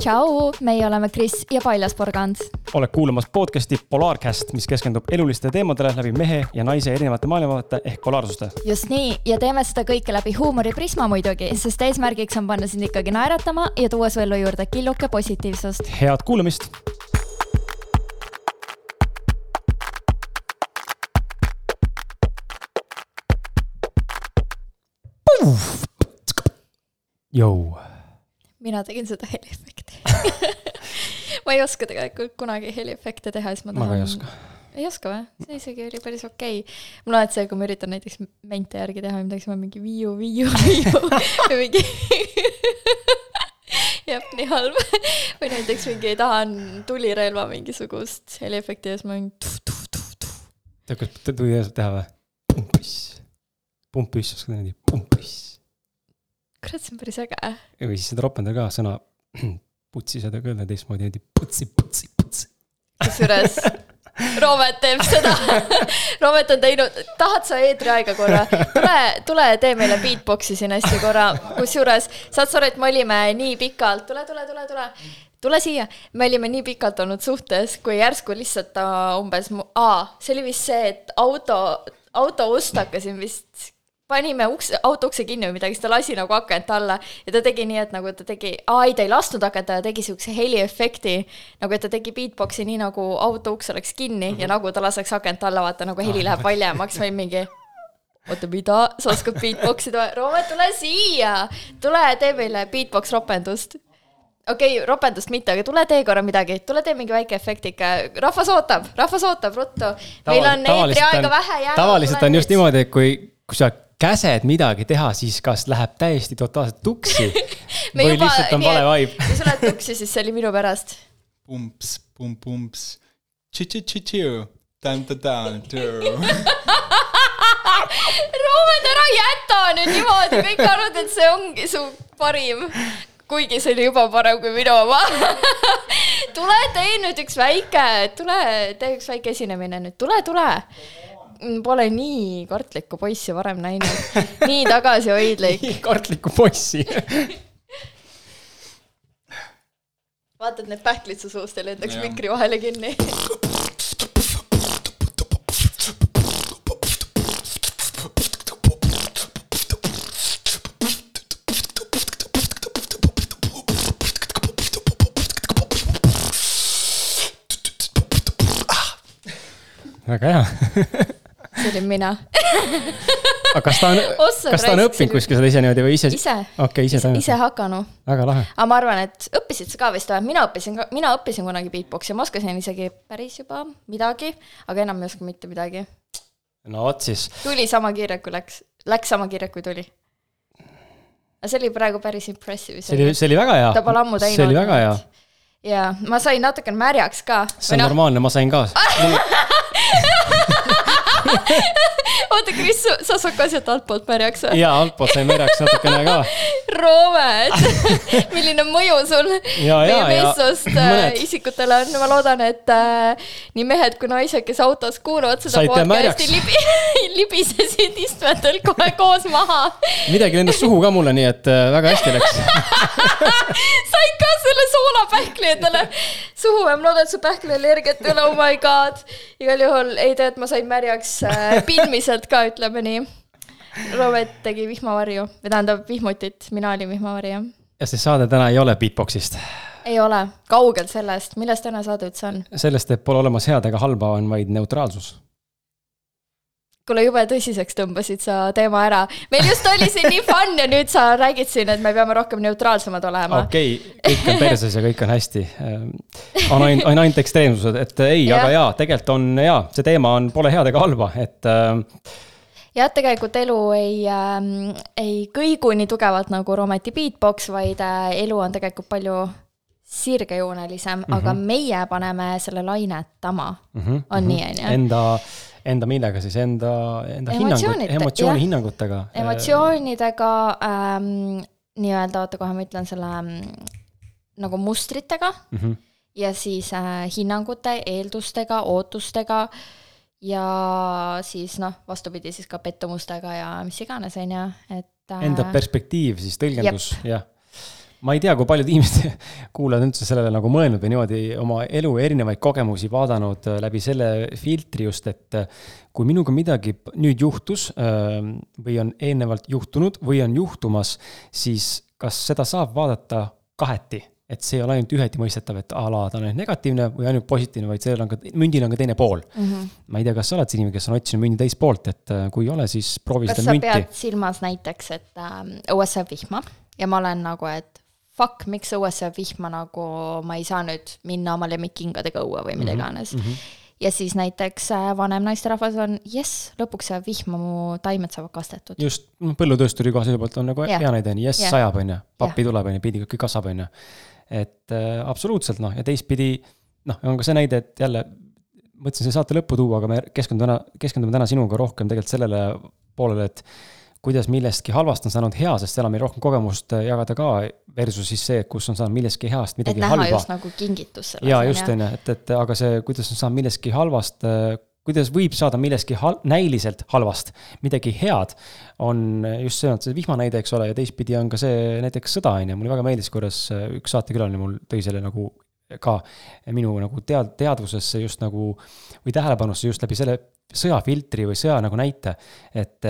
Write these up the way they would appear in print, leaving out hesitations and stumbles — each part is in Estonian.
Tšau, meie oleme Kris ja Paljas Porgand. Oled kuulamas podcasti Polarcast, mis keskendub eluliste teemadele läbi mehe ja naise erinevate maailmavaate ehk polaarsuste. Just nii, ja teeme seda kõike läbi huumoriprisma muidugi, sest eesmärgiks on panna sind ikkagi naeratama ja tuua su ellu juurde killuke positiivsust. Head kuulamist! Jou. Mina tegin seda heliefekti. Ma ei oska tegelikult kunagi heliefekte teha, siis ma tahan... Ma ka ei oska. Ei oska või? See isegi oli päris okei. Mul on see, kui ma üritan näiteks mente järgi teha, midagi ma mingi viiu või mingi... Jep, nii halb. Või näiteks mingi tahan tulirelva mingisugust heliefekti ja siis ma mingi... Tead, kas tuli teha või? Pumpüss, oska nii, pumpüss. Kurat, see on päris äge. Või siis seda ropendada ka sõna putsi seda kõlda teistmoodi, putsi. Kusjuures Roomet teeb seda. Roomet on teinud, tahad sa eetriaega korra? Tule tee meile beatboxi siin hästi korra. Kusjuures, saad sa et me olime nii pikalt, tule siia. Me olime nii pikalt olnud suhtes, kui järsku lihtsalt umbes, see oli vist see, et auto ust hakkasin vist panime auto ukse kinni või midagi, siis ta lasi nagu akent alla ja ta tegi nii, et nagu ta tegi, ta ei lastnud akent, ta tegi siukse heliefekti, nagu et ta tegi beatboxi nii nagu auto uks oleks kinni ja nagu ta laseks akent alla, vaata nagu heli läheb valjemaks või mingi, oota mida, sa oskad beatboxida, Roomet, tule siia, tule tee meile beatbox ropendust. Okei, ropendust mitte, aga tule tee korra midagi, tule tee mingi väike efekt ikka, rahvas ootab, ruttu, meil on eetriaega vähe jäänud. Tavaliselt on just niimoodi, et kui sa käsed midagi teha, siis kas läheb täiesti totaalselt tuksi või lihtsalt on vale vibe. Kui sa lähed tuksi, siis see oli minu pärast. Pumps. Tši-tši-tši-tšiu. Tan-ta-tan-tšu. Roomet, ära jäta nüüd niimoodi. Kõik arvad, et see ongi su parim. Kuigi see oli juba parem kui minu oma. Tule tee nüüd üks väike. Tee üks väike esinemine nüüd. Tule. Pole nii kartlikku poissi varem näinud. Nii tagasihoidlik. Nii kartlikku poissi. Vaatad need pähklid su suust ja lendaks mikri vahele kinni. Väga hea. See oli mina. Aga kas ta on õppinud kuskil seda ise niimoodi või ise? Ise hakanu. Väga lahe. Aga ma arvan, et õppisid sa ka vist või? Mina õppisin kunagi beatboxi ja ma oskasin isegi päris juba midagi, aga enam ei oska mitte midagi. No oot siis. Tuli sama kiire, kui läks sama kiire, kui tuli. Aga see oli praegu päris impressive. See oli väga hea. Ta pole ammu teinud. See oli väga hea. Ja ma sain natuke märjaks ka. See on normaalne, ma sain ka. Oota, Kris, sa saad ka sealt altpoolt märjaks? Jaa, altpoolt sain märjaks natukene ka. Roomet, milline mõju sul meie meessoost isikutele on? Ma loodan, et nii mehed kui naised, kes autos kuuluvad seda podcasti libisesid istmetel kohe koos maha. Midagi lendas suhu ka mulle, nii et väga hästi läks. Said ka selle soolapähkli endale suhu ja ma loodan, et su pähkli allergiat ei ole, oh my god. Igal juhul ei tea, et ma sain märjaks pilmiselt ka, ütleme nii. Roomet tegi vihmavarju, või tähendab vihmutit, mina olin vihmavarju. Ja see saade täna ei ole beatboxist? Ei ole, kaugel sellest. Millest täna saade üldse on? Sellest, et pole olemas head ega halba, on vaid neutraalsus. Kuule, jube tõsiseks tõmbasid sa teema ära. Meil just oli siin nii fun ja nüüd sa räägid siin, et me peame rohkem neutraalsemad olema. Okei, kõik on perses ja kõik on hästi. On ainult ekstreemsused, et ei, aga jaa, tegelikult on jaa, see teema on pole head ega halba, et... Ja tegelikult elu ei kõigu nii tugevalt nagu Roometi beatbox, vaid elu on tegelikult palju sirgejoonelisem, aga meie paneme selle lainetama. On nii, on ju? Enda millega siis? Enda emotsiooni hinnangutega? Emotsioonidega, nii-öelda, oota kohe ma ütlen selle nagu mustritega ja siis hinnangute, eeldustega, ootustega ja siis vastupidi siis ka pettumustega ja mis iganes, on ju. Enda perspektiiv, siis tõlgendus, jah. ma ei tea, kui paljud inimesed kuulajad üldse sellele nagu mõelnud või niimoodi oma elu erinevaid kogemusi vaadanud läbi selle filtri just, et kui minuga midagi nüüd juhtus või on eelnevalt juhtunud või on juhtumas, siis kas seda saab vaadata kaheti? Et see ei ole ainult üheti mõistetav, et ala ta on ainult negatiivne või ainult positiivne, vaid sellel on ka, mündil on ka teine pool. Ma ei tea, kas sa oled see inimene, kes on otsinud mündi teist poolt, et kui ei ole, siis proovi seda münti. Kas sa pead silmas näiteks, et õues sööb vihma ja ma olen nagu, et fuck, miks õues sööb vihma, nagu ma ei saa nüüd minna oma lemmikingadega õue või mida iganes. Ja siis näiteks vanem naisterahvas on, lõpuks see vihma, mu taimed saavad kastetud. Just, põllutöösturi koha selle poolt on nagu hea näide, sajab on ja pappi tuleb on ja pidi kõik kasvab on ja. Et absoluutselt ja teistpidi, on ka see näide, et jälle mõtlesin see saate lõppu tuua, aga me keskendume täna sinuga rohkem tegelikult sellele poolele, et kuidas millestki halvast on saanud hea, sest seal on meil rohkem kogemust jagada ka versus siis see, kus on saanud millestki heast midagi halba. Et näha just nagu kingitus selles. Ja just on, et aga see, kuidas on saanud millestki halvast, kuidas võib saada millestki näiliselt halvast midagi head, on just see vihmanäide, eks ole, ja teistpidi on ka see näiteks sõda, ja mulle väga meeldis, kuidas üks saatekülaline mul tõi selle nagu ka minu nagu teadvusesse just nagu, või tähelepanusse just läbi selle sõjafiltri või sõja nagu näite, et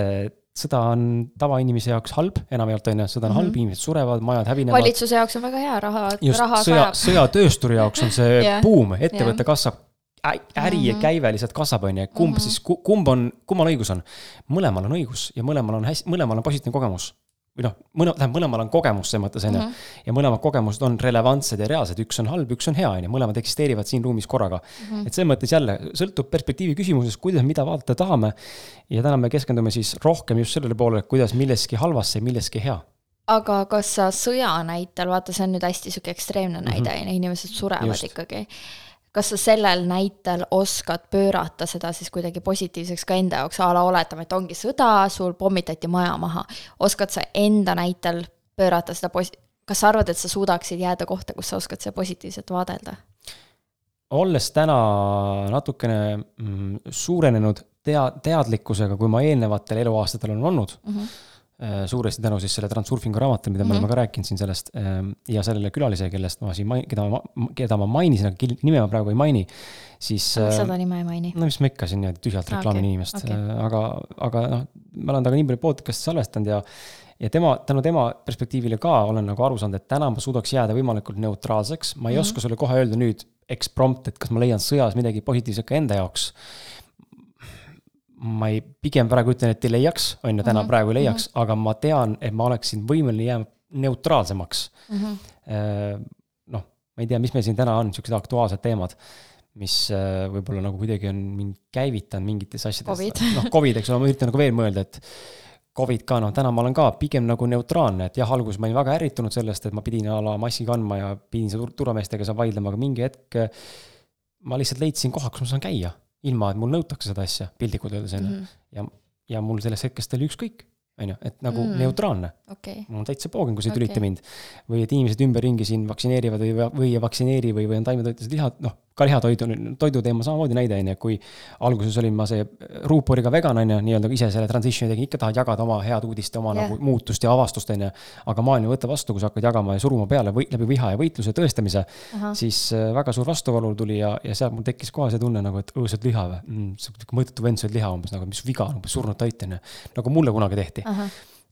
sõda on tavainimese jaoks halb, enamjaolt on, sõda on halb, inimesed surevad, majad hävinevad. Valitsuse jaoks on väga hea, raha sajab. Sõjatöösturi jaoks on see boom, ettevõtte kasvab, äri ja käive lihtsalt kasvab, on ja kummal õigus on? Mõlemal on õigus ja mõlemal on positiivne kogemus. Või mõlemal on kogemus see mõttes, ja mõlemad kogemused on relevantsed ja reaalsed, üks on halb, üks on hea, mõlemad eksisteerivad siin ruumis korraga. Et see mõttes jälle sõltub perspektiivi küsimusest, kuidas mida vaadata tahame, ja täna me keskendume siis rohkem just sellele poole, kuidas milleski halvasse ja milleski hea. Aga kas sa sõja näitel, vaata see on nüüd hästi süke ekstreemne näide, inimesed surevad ikkagi. Kas sa sellel näitel oskad pöörata seda siis kuidagi positiivseks ka enda jaoks, ala oletame, et ongi sõda, sul pommitati maja maha. Oskad sa enda näitel pöörata seda kas sa arvad, et sa suudaksid jääda kohta, kus sa oskad seda positiivselt vaadelda? Olles täna natukene suurenenud teadlikkusega, kui ma eelnevatel eluaastatel on olnud, suuresti tänu siis selle Transurfingu raamatele, mida me oleme ka rääkinud siin sellest ja sellele külalise, kellest ma siin, keda ma mainisin, aga nime ma praegu ei maini, siis seda nime ei maini. Mis ma ikka siin tühjalt reklaamin inimest, aga ma olen taga nii palju podcast'i salvestanud ja tänu tema perspektiivile ka olen nagu aru saanud, et täna ma suudaks jääda võimalikult neutraalseks, ma ei oska sulle kohe öelda nüüd eksprompt, et kas ma leian sõjas midagi positiivset ka enda jaoks. Ma pigem praegu ütlen, et ei leiaks, on ja täna praegu ei leiaks, aga ma tean, et ma oleksin võimeline jääma neutraalsemaks. Ma ei tea, mis meil siin täna on, sellised aktuaalsed teemad, mis võib-olla nagu kuidagi on mind käivitanud mingites asjades. COVID, eks ole, ma üritan nagu veel mõelda, et COVID ka, täna ma olen ka pigem nagu neutraalne, et jah, alguses ma olin väga ärritunud sellest, et ma pidin ala massi kandma ja pidin see turvameestega saa vaidlema, aga mingi hetk ma lihtsalt leidsin koha, kus ma saan käia. Ilma, et mul nõutakse seda asja, pildikud öeldes ja mul sellest hetkest oli ükskõik, et nagu neutraalne. Mul on täitsa poogin, kui see tülite mind. Või et inimesed ümberringi siin vaktsineerivad või ei vaktsineeri või on taimetoitused lihad, ka lihatoidu teema samamoodi näide, kui alguses olin ma see ruuporiga vegan, nii-öelda ise selle transitioni tegin, ikka tahad jagada oma head uudist, oma nagu muutust ja avastust, aga maailm võtta vastu, kui sa hakkad jagama ja suruma peale läbi viha ja võitluse tõestamise, siis väga suur vastuvalul tuli ja seal mul tekkis kohe see tunne, nagu, et õõsad liha või, mõõdetu vend sööd liha umbes, nagu, mis viga, surnud toit, nagu mulle kunagi tehti.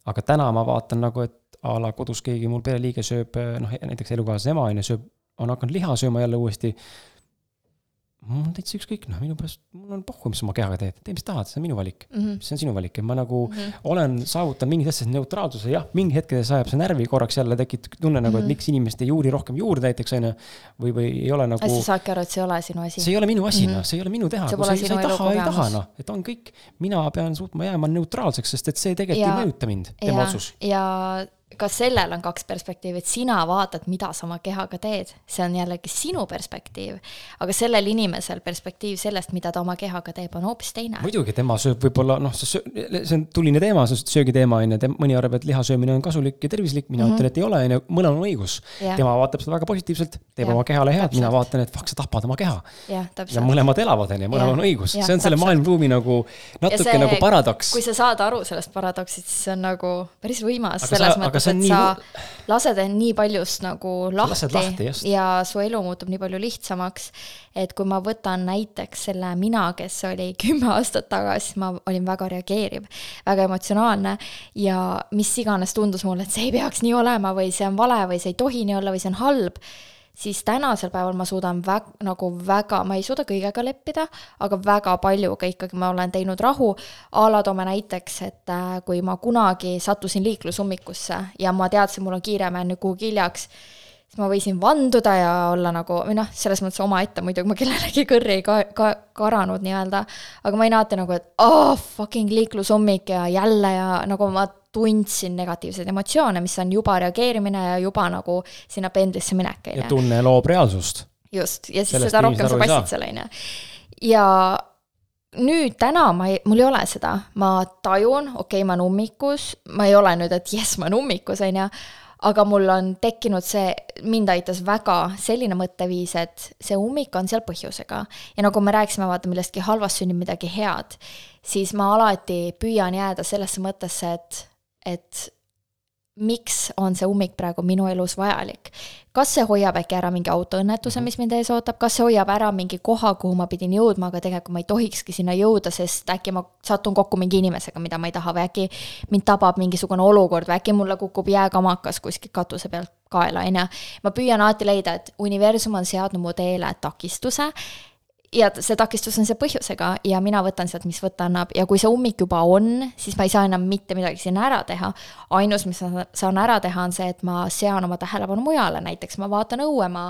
Aga täna ma vaatan nagu, et ala kodus keegi mul pereliige sööb, näiteks elukaasas ema on hakanud liha sööma jälle uuesti. Mul on täitsa ükskõik, minu pärast, mul on pohhu, mis oma kehaga teed. Tee, mis tahad, see on minu valik. See on sinu valik. Ma nagu olen saavutanud mingid asjad neutraalsuse, jah, mingi hetkede sajab see närvi korraks jälle tekib tunne nagu, et miks inimest ei juuri rohkem juurde näiteks, või ei ole nagu... Sa saadki aru, et see ei ole sinu asi. See ei ole minu asi, see ei ole minu teha. Kui sa ei taha, et on kõik. Mina pean suutma jääma neutraalseks, sest et see tegelikult ei mõjuta mind, tema otsus. Ja ka sellel on kaks perspektiivi, et sina vaatad, mida sa oma kehaga teed. See on jällegi sinu perspektiiv, aga sellel inimesel perspektiiv sellest, mida ta oma kehaga teeb, on hoopis teine. Muidugi, tema sööb võib-olla, see on tuline teema, see söögiteema, mõni arvab, et lihasöömine on kasulik ja tervislik, mina ütlen, et ei ole, mõnel on õigus. Tema vaatab seda väga positiivselt, teeb oma kehale head, mina vaatan, et sa tapad oma keha. Ja mõlemad elavad, mõlemad on õigus. See on selle maailmruumi nagu natuke nagu paradoks. Kui sa saad aru sellest paradoksist, siis see on nagu päris võimas selles mõttes. et sa lased nii paljust nagu lahti ja su elu muutub nii palju lihtsamaks, et kui ma võtan näiteks selle mina, kes oli 10 aastat tagasi, ma olin väga reageeriv, väga emotsionaalne ja mis iganes tundus mulle, et see ei peaks nii olema või see on vale või see ei tohi nii olla või see on halb, siis tänasel päeval ma suudan väga, ma ei suuda kõigega leppida, aga väga paljuga ikkagi ma olen teinud rahu. Ala toome näiteks, et kui ma kunagi sattusin liiklusummikusse ja ma teadsin, mul on kiire, ma jään kuhugi hiljaks, siis ma võisin vanduda ja olla nagu, või noh, selles mõttes oma ette, muidugi ma kellelegi kõrri ei karanud nii-öelda, aga ma ei näete nagu, et fucking liiklusummik ja jälle ja nagu ma tundsin negatiivseid emotsioone, mis on juba reageerimine ja juba nagu sinna pendlisse minek. Ja tunne loob reaalsust. Just, ja siis seda rohkem sa passid selle. Ja nüüd täna mul ei ole seda. Ma tajun, okei, ma on ummikus, ma ei ole nüüd, et jes, ma on ummikus, aga mul on tekkinud see, mind aitas väga selline mõtteviis, et see ummik on seal põhjusega. Ja nagu me rääkisime, vaata, millestki halvast sünnib midagi head, siis ma alati püüan jääda sellesse mõttesse, et miks on see ummik praegu minu elus vajalik. Kas see hoiab äkki ära mingi autoõnnetuse, mis mind ees ootab? Kas see hoiab ära mingi koha, kuhu ma pidin jõudma, aga tegelikult ma ei tohikski sinna jõuda, sest äkki ma satun kokku mingi inimesega, mida ma ei taha, või äkki mind tabab mingisugune olukord, või äkki mulle kukub jääkamakas kuskil katuse pealt kaela. Ma püüan alati leida, et universum on seadnud mu teele takistuse, ja see takistus on see põhjusega ja mina võtan sealt, mis võtta annab. Ja kui see ummik juba on, siis ma ei saa enam mitte midagi sinna ära teha. Ainus, mis ma saan ära teha, on see, et ma sean oma tähelepanu mujale. Näiteks ma vaatan õue, ma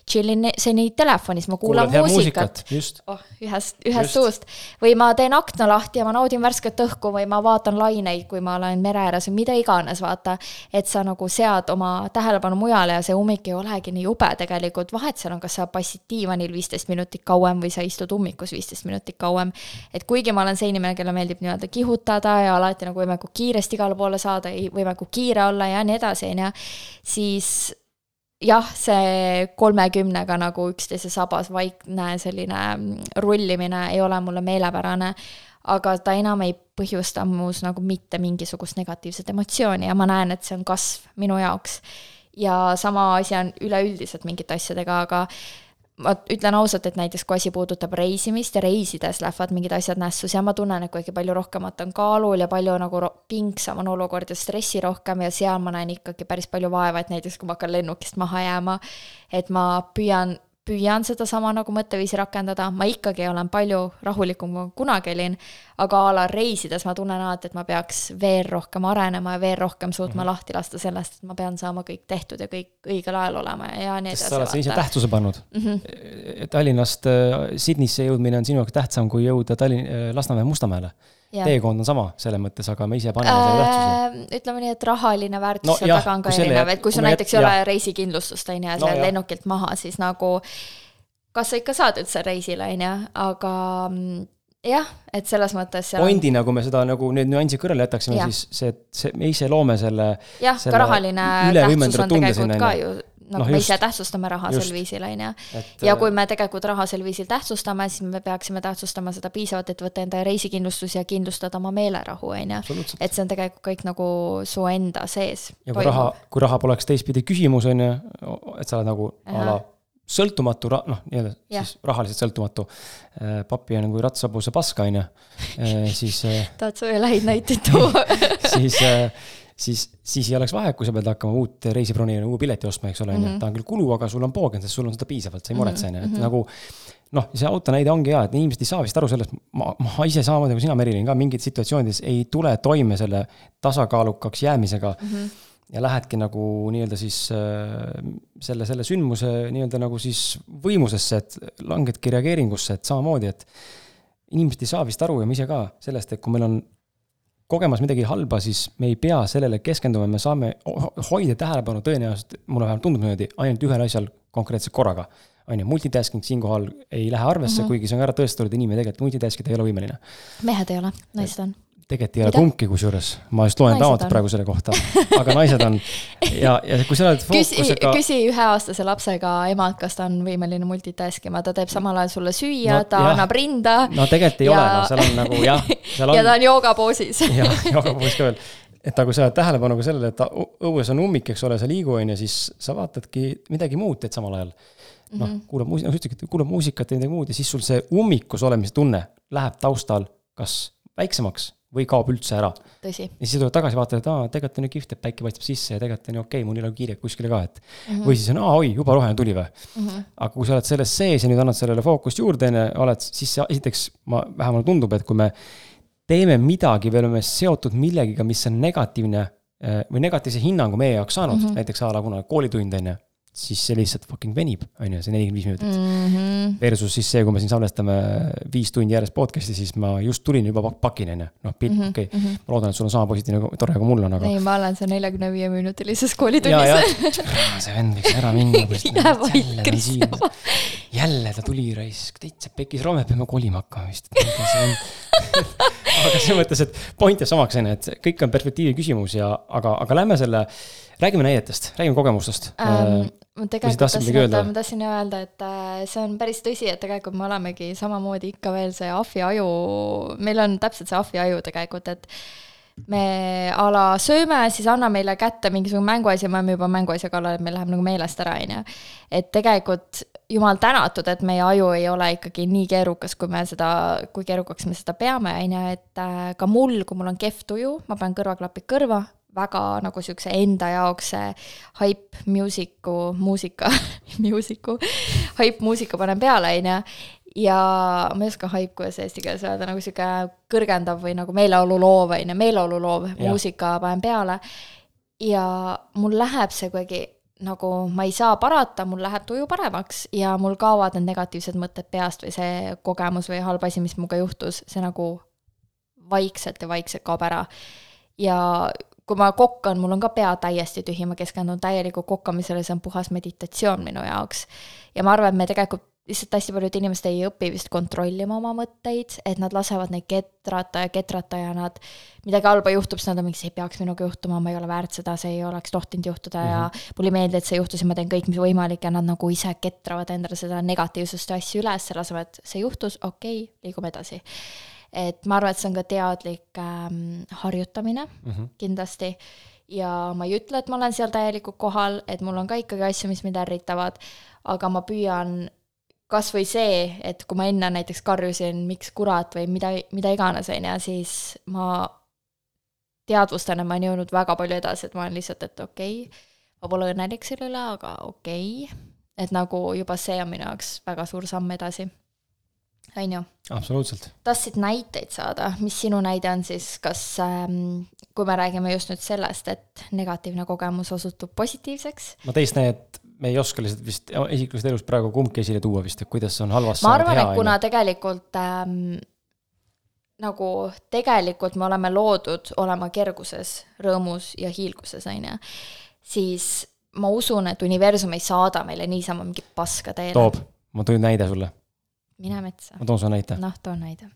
chillin seni telefonis, ma kuulan muusikat. Ühest suust. Või ma teen akna lahti ja ma naudin värsket õhku või ma vaatan laineid, kui ma olen mere ääres või mida iganes, vaata. Et sa nagu sead oma tähelepanu mujale ja see ummik ei olegi nii jube tegelikult. Vahet seal on, kas sa passid diivanil 15 minutit kauem või sa istud ummikus 15 minutit kauem. Et kuigi ma olen see inimene, kelle meeldib nii-öelda kihutada ja alati nagu võimeku kiiresti igale poole saada, võimeku kiire olla ja nii edasi, siis jah, see 30-ga nagu üksteise sabas vaikne selline rullimine ei ole mulle meelepärane, aga ta enam ei põhjusta muus nagu mitte mingisugust negatiivset emotsiooni ja ma näen, et see on kasv minu jaoks. Ja sama asi on üleüldiselt mingite asjadega, aga ma ütlen ausalt, et näiteks kui asi puudutab reisimist ja reisides lähevad mingid asjad nässus ja ma tunnen, et kuigi palju rohkemat on kaalul ja palju nagu pingsam on olukord ja stressi rohkem ja seal ma näen ikkagi päris palju vaeva, et näiteks kui ma hakkan lennukist maha jääma, et ma püüan seda sama nagu mõtteviisi rakendada, ma ikkagi olen palju rahulikum kui kunagi olin, aga ala reisides ma tunnen alati, et ma peaks veel rohkem arenema ja veel rohkem suutma lahti lasta sellest, et ma pean saama kõik tehtud ja kõik õigel ajal olema ja nii edasi. Sest sa oled ise tähtsuse pannud. Tallinnast Sydneysse jõudmine on sinu jaoks tähtsam kui jõuda Lasnamäe Mustamäele. Teekond on sama selle mõttes, aga me ise paneme selle tähtsuse. Ütleme nii, et rahaline väärtus taga on ka erinev, et kui sul näiteks ei ole reisikindlustust ja sa lennukilt maha, siis nagu kas sa ikka saad üldse reisile, aga jah, et selles mõttes pointi, nagu me seda nagu need nüansi kõrvale jätaksime, siis me ise loome selle ka rahaline tähtsus on tegelikult ka ju nagu me ise tähtsustame raha sel viisil, ja kui me tegelikult raha sel viisil tähtsustame, siis me peaksime tähtsustama seda piisavalt, et võtta enda reisikindlustus ja kindlustada oma meelerahu, et see on tegelikult kõik nagu su enda sees. Ja kui raha poleks teistpidi küsimus, et sa oled nagu ala sõltumatu, siis rahaliselt sõltumatu. Papi on kui ratsabuse paska, siis tahad sa üle häid näiteid tuua? siis ei oleks vahe, kui sa pead hakkama uut reisibroni uue pileti ostma, eks ole, ta on küll kulu, aga sul on poogen, sest sul on seda piisavalt, sa ei muretse, et nagu see auto näide ongi hea, et inimesed ei saa vist aru sellest, ma ise samamoodi kui sina, Merilin, ka mingid situatsioonides ei tule toime selle tasakaalukaks jäämisega ja lähedki nagu nii-öelda siis selle sündmuse nii-öelda nagu siis võimusesse, et langedki reageeringusse, et samamoodi, et inimesed ei saa vist aru ja ma ise ka sellest, et kui meil on kogemas midagi halba, siis me ei pea sellele keskenduma, me saame hoida tähelepanu tõenäoliselt, mulle vähemalt tundub niimoodi, ainult ühel asjal konkreetselt korraga. Multitasking siinkohal ei lähe arvesse, kuigi see on ära tõestatud, inimene tegelikult multitaskida ei ole võimeline. Mehed ei ole, naised on. Tegelikult ei ole kumbki kusjuures. Ma just loen raamatut praegu selle kohta. Aga naised on. Ja kui sa oled fookusega... Küsi 1-aastase lapsega emad, kas ta on võimeline multitaskima. Ta teeb samal ajal sulle süüa, ta annab rinda. No tegelikult ei ole. Seal on nagu, ja ta on joogapoosis. Ja joogapoosis ka veel. et kui sa oled tähelepanu ka sellele, et õues on ummik, eks ole, sa liigu on ja siis sa vaatadki midagi muud teed samal ajal. Kuulab muusikat ja midagi muud ja siis sul see ummikus olemise tunne läheb taustal kas väiksemaks või kaob üldse ära. Tõsi. Ja siis tuleb tagasi vaatad, et tegelikult on ju kihvt, et päike paistab sisse ja tegelikult on ju okei, mul ei ole kiire kuskile ka, et või siis on, oi, juba roheline tuli või. Aga kui sa oled selles sees ja nüüd annad sellele fookust juurde, siis esiteks vähemalt tundub, et kui me teeme midagi või oleme seotud millegiga, mis on negatiivne või negatiivse hinnangu meie jaoks saanud, näiteks kuna koolitund on, siis see lihtsalt fucking venib, on ju, see 45 minutit. Versus siis see, kui me siin salvestame 5 tundi järjest podcasti, siis ma just tulin juba pakin, on ju. Okei. Ma loodan, et sul on sama positiivne tore, kui mul on, aga... Ei, ma olen see 45-minutilises koolitunnis. See vend võiks ära minna. Jää vaid, Kristjan. Jälle ta tuli raisk, täitsa pekis Roome, peame kolima hakkama vist. Aga see mõttes, et point ja samaks, et kõik on perspektiivi küsimus, aga lähme selle... Räägime näidetest, räägime kogemustest. Ma tahtsin öelda, et see on päris tõsi, et tegelikult me olemegi samamoodi ikka veel see ahviaju, meil on täpselt see ahviaju tegelikult, et me sööme, siis anna meile kätte mingisugune mänguasi, me oleme juba mänguasja kallal, et meil läheb nagu meelest ära, et tegelikult jumal tänatud, et meie aju ei ole ikkagi nii keerukas, kui keerukaks me seda peame, et ka mul, kui mul on kehv tuju, ma panen kõrvaklapid kõrva, väga nagu siukse enda jaoks hype muusika panen peale, ja ma ei oska hype, kuidas eesti keeles öelda, nagu siuke kõrgendav või nagu meeleoluloov muusika panen peale ja mul läheb see kuidagi nagu ma ei saa parata, mul läheb tuju paremaks ja mul kaovad need negatiivsed mõtted peast või see kogemus või halb asi, mis muga juhtus, see nagu vaikselt kaob ära ja kui ma kokkan, mul on ka pea täiesti tühi, ma keskendun täieliku kokkamisele, see on puhas meditatsioon minu jaoks. Ja ma arvan, et me tegelikult lihtsalt hästi paljud inimesed ei õpi vist kontrollima oma mõtteid, et nad lasevad neid ketrata ja nad midagi halba juhtub, siis nad on mingi, see ei peaks minuga juhtuma, ma ei ole väärt seda, see ei oleks tohtinud juhtuda ja mulle meeldi, et see juhtus ja ma teen kõik, mis võimalik ja nad nagu ise ketravad endale seda negatiivsust asju üles, lasevad, et see juhtus, okei, liigume edasi. Et ma arvan, et see on ka teadlik harjutamine kindlasti ja ma ei ütle, et ma olen seal täielikult kohal, et mul on ka ikkagi asju, mis mind ärritavad, aga ma püüan kas või see, et kui ma enne näiteks karjusin, miks kurat või mida iganes, siis ma teadvustan, et ma olen jõudnud väga palju edasi, et ma olen lihtsalt, et okei, ma pole õnnelik selle üle, aga okei, et nagu juba see on minu jaoks väga suur samm edasi. Ainu. Absoluutselt. Tahtsid näiteid saada, mis sinu näide on siis, kas kui me räägime just nüüd sellest, et negatiivne kogemus osutub positiivseks? Ma teist näidet me ei oska lihtsalt vist isiklusest elus praegu kumbki esile tuua vist, et kuidas on halvast ma arvan, et kuna tegelikult nagu tegelikult me oleme loodud olema kerguses, rõõmus ja hiilguses, siis ma usun, et universum ei saada meile niisama mingi paska teele. Toob, ma tõin näide sulle. Mine metsa. Ma toon sulle näite. Toon näide.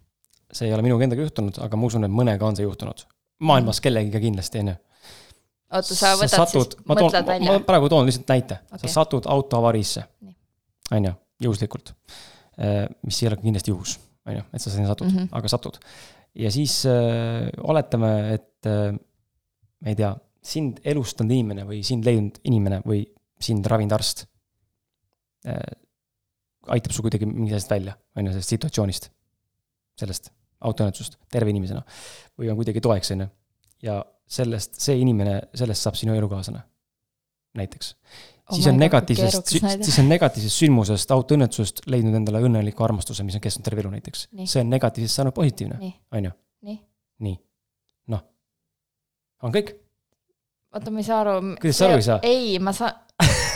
See ei ole minu endaga juhtunud, aga ma usun, et mõnega on see juhtunud. Maailmas kellegiga kindlasti, enne. Oota, sa võtad siis, mõtled välja? Ma praegu toon lihtsalt näite. Okay. Sa satud autoavariisse. Aina, juhuslikult. Mis ei ole kindlasti juhus. Aina, et sa sinna satud, aga satud. Ja siis oletame, et ma ei tea, sind elustanud inimene või sind leidnud inimene või sind ravinud arst aitab su kuidagi mingi sellest välja, sellest situatsioonist, sellest autoõnnetusest, terve inimesena, või on kuidagi toeks, ja see inimene, sellest saab sinu elukaasana, näiteks. Siis on negatiivsest sündmusest, autoõnnetusest leidnud endale õnneliku armastuse, mis on kestnud terve elu näiteks. Nii. See on negatiivsest saanud positiivne, on ju? Nii. Noh. On kõik? Oota, ma ei saa aru. Kuidas sa aru ei saa? Ei, ma saan...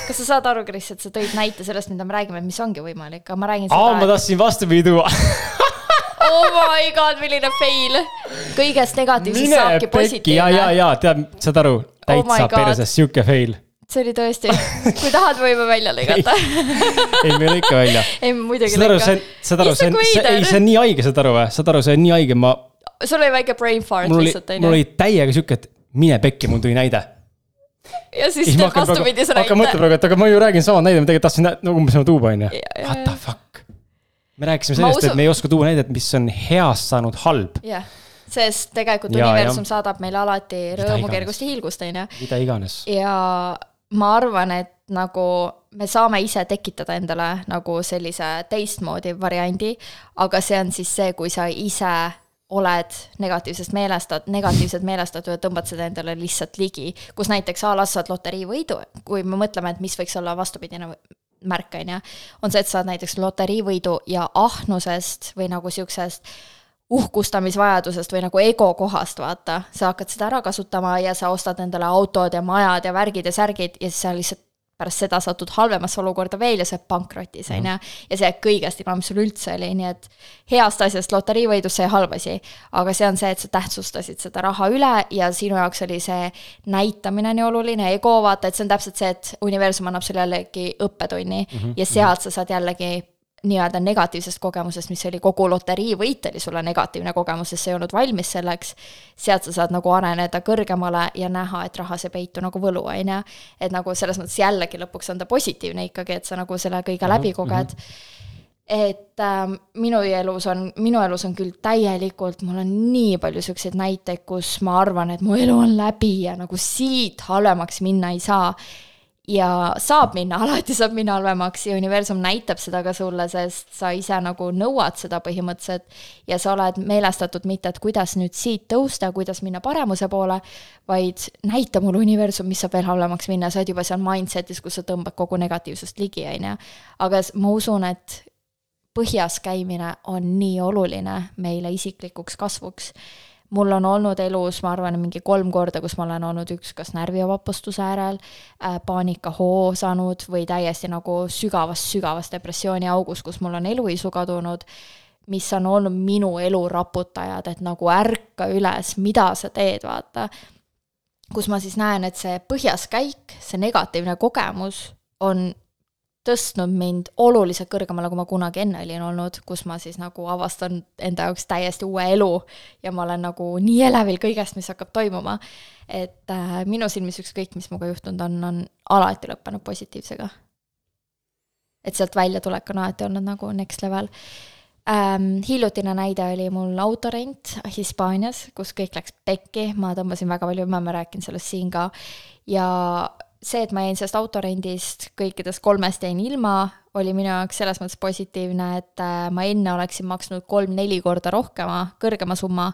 Kas sa saad aru, Kris, et sa tõid näite sellest, mida me räägime, mis ongi võimalik, aga ma räägin seda... ma tahtsin vastupidi tuua. Oh my god, milline fail. Kõigest negatiivsest saabki positiivne. Ja, tead, saad aru, täitsa perses, siuke fail. See oli tõesti. Kui tahad, võime välja lõigata. Ei, me lõika välja. Ei, muidugi lõika. Saad aru, see on nii haige, saad aru või? Saad aru, see on nii haige, Sul oli väike brain fart lihtsalt. Mul oli täiega siuke, et mine pekki, mul tuli näide. Ja siis teed vastupidis näite. Hakka mõtle praegu, aga ma ju räägin sama näide, ma tegelikult tahtsin umbes sama tuua, on ju. What the fuck? Me rääkisime sellest, et me ei oska tuua näidet, mis on heast saanud halb. sest tegelikult universum saadab meile alati rõõmu, kergust ja hiilgust, mida iganes. Ja ma arvan, et nagu me saame ise tekitada endale nagu sellise teistmoodi variandi, aga see on siis see, kui sa ise oled negatiivsed meelestatud ja tõmbad seda endale lihtsalt ligi, kus näiteks saad loteriivõidu, kui me mõtleme, et mis võiks olla vastupidine märk, on see, et saad näiteks loteriivõidu ja ahnusest või nagu siuksest uhkustamisvajadusest või nagu ego kohast, vaata, sa hakkad seda ära kasutama ja sa ostad endale autod ja majad ja värgid ja särgid ja siis sa lihtsalt pärast seda satud halvemasse olukorda veel ja see pankrotis, ja see kõigest ilma, mis sul üldse oli, nii et heast asjast loteriivõidus sai halvasi, aga see on see, et sa tähtsustasid seda raha üle ja sinu jaoks oli see näitamine nii oluline, ego, vaata, et see on täpselt see, et universum annab sulle jällegi õppetunni ja sealt sa saad jällegi nii-öelda negatiivsest kogemusest, mis oli kogu loteriivõit oli sulle negatiivne kogemus, sest sa ei olnud valmis selleks, sealt sa saad nagu areneda kõrgemale ja näha, et rahas ei peitu nagu võlu, et nagu selles mõttes jällegi lõpuks on ta positiivne ikkagi, et sa nagu selle kõige läbi koged. Et minu elus on küll täielikult, mul on nii palju selliseid näiteid, kus ma arvan, et mu elu on läbi ja nagu siit halvemaks minna ei saa. Ja alati saab minna halvemaks ja universum näitab seda ka sulle, sest sa ise nagu nõuad seda põhimõtteliselt ja sa oled meelestatud mitte, et kuidas nüüd siit tõusta, kuidas minna paremuse poole, vaid näita mulle universum, mis saab veel halvemaks minna, sa oled juba seal mindsetis, kus sa tõmbad kogu negatiivsust ligi, aga ma usun, et põhjas käimine on nii oluline meile isiklikuks kasvuks. Mul on olnud elus, ma arvan, mingi 3 korda, kus ma olen olnud üks kas närvivapustuse äärel, paanikahoo saanud või täiesti nagu sügavast depressiooni augus, kus mul on eluisu kadunud, mis on olnud minu elu raputajad, et nagu ärka üles, mida sa teed, vaata. Kus ma siis näen, et see põhjas käik, see negatiivne kogemus on tõstnud mind oluliselt kõrgemale, kui ma kunagi enne olin olnud, kus ma siis nagu avastan enda jaoks täiesti uue elu ja ma olen nagu nii elevil kõigest, mis hakkab toimuma. Et minu silmis ükskõik, mis muga juhtunud on alati lõppenud positiivsega. Et sealt välja tulek on alati olnud nagu next level. Hiljutine näide oli mul autorent Hispaanias, kus kõik läks pekki, ma tõmbasin väga palju, ma rääkin sellest siin ka ja see, et ma jäin sellest autorendist kõikidest 3 jäin ilma, oli minu jaoks selles mõttes positiivne, et ma enne oleksin maksnud 3-4 korda kõrgema summa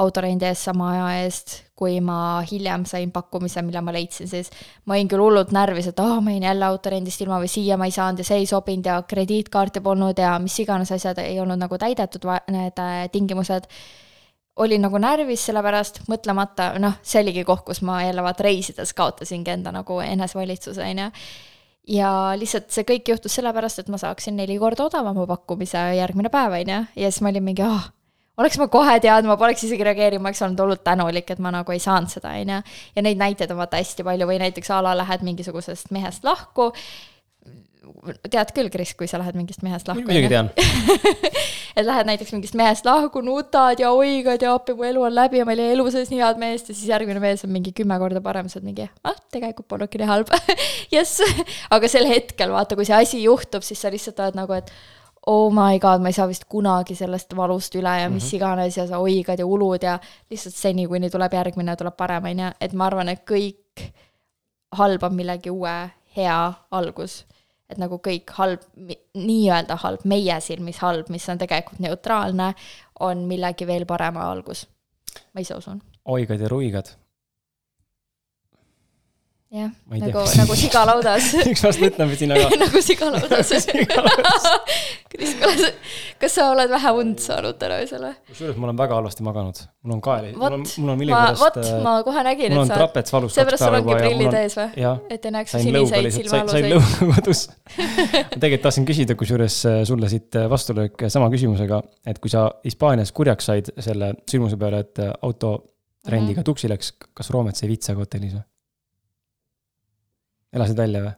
autorendi eest sama aja eest, kui ma hiljem sain pakkumise, mille ma leidsin, siis ma olin küll hullult närvis, et ma jäin jälle autorendist ilma või siia ma ei saanud ja see ei sobinud ja krediitkaarti polnud ja mis iganes asjad ei olnud nagu täidetud need tingimused. Olin nagu närvis selle pärast, mõtlemata, see oligi koht, kus ma jälle reisides kaotasingi enda nagu enesvalitsuse, ja lihtsalt see kõik juhtus selle pärast, et ma saaksin 4 korda odavama pakkumise järgmine päev, ja siis ma olin mingi, oleks ma kohe teadnud, ma poleks isegi reageerima, ma oleks olnud hullult tänulik, et ma nagu ei saanud seda, ja neid näiteid on hästi palju, või näiteks lähed mingisugusest mehest lahku, tead küll, Kris, kui sa lähed mingist mehest lahku. Muidugi tean. Et lähed näiteks mingist mehest lahku, nutad ja oigad ja appi, mu elu on läbi ja meil ei elu sees nii head meest ja siis järgmine mees on mingi 10 korda parem, sa oled mingi, tegelikult polnudki nii halb. Yes. Aga sel hetkel, vaata, kui see asi juhtub, siis sa lihtsalt oled nagu, et oh my god, ma ei saa vist kunagi sellest valust üle ja mis iganes ja sa oigad ja ulud ja lihtsalt seni, kuni tuleb järgmine, tuleb parem, et ma arvan, et kõik halb on millegi uue hea algus. Et nagu kõik halb, nii-öelda halb, meie silmis halb, mis on tegelikult neutraalne, on millegi veel parema algus. Ma ise usun. Oigad ja ruigad. Jah, nagu sigalaudas. Üks vast mõtleme siin, aga... nagu sigalaudas. Kas sa oled vähe und saanud täna selle? Kusjuures ma olen väga halvasti maganud. Mul on kaeli. Ma kohe nägin, et sa... Trapets valus 2 päeva juba. Seepärast sul ongi prillid ees või? Et ei näeks siniseid silmaaluseid. Sain lõuna kodus. Tegelikult tahtsin küsida, kusjuures sulle siit vastulöök sama küsimusega, et kui sa Hispaanias kurjaks said selle sündmuse peale, et autorendiga tuksi läks, kas Roomet sai vitsaga hotellis või? Elasid välja või?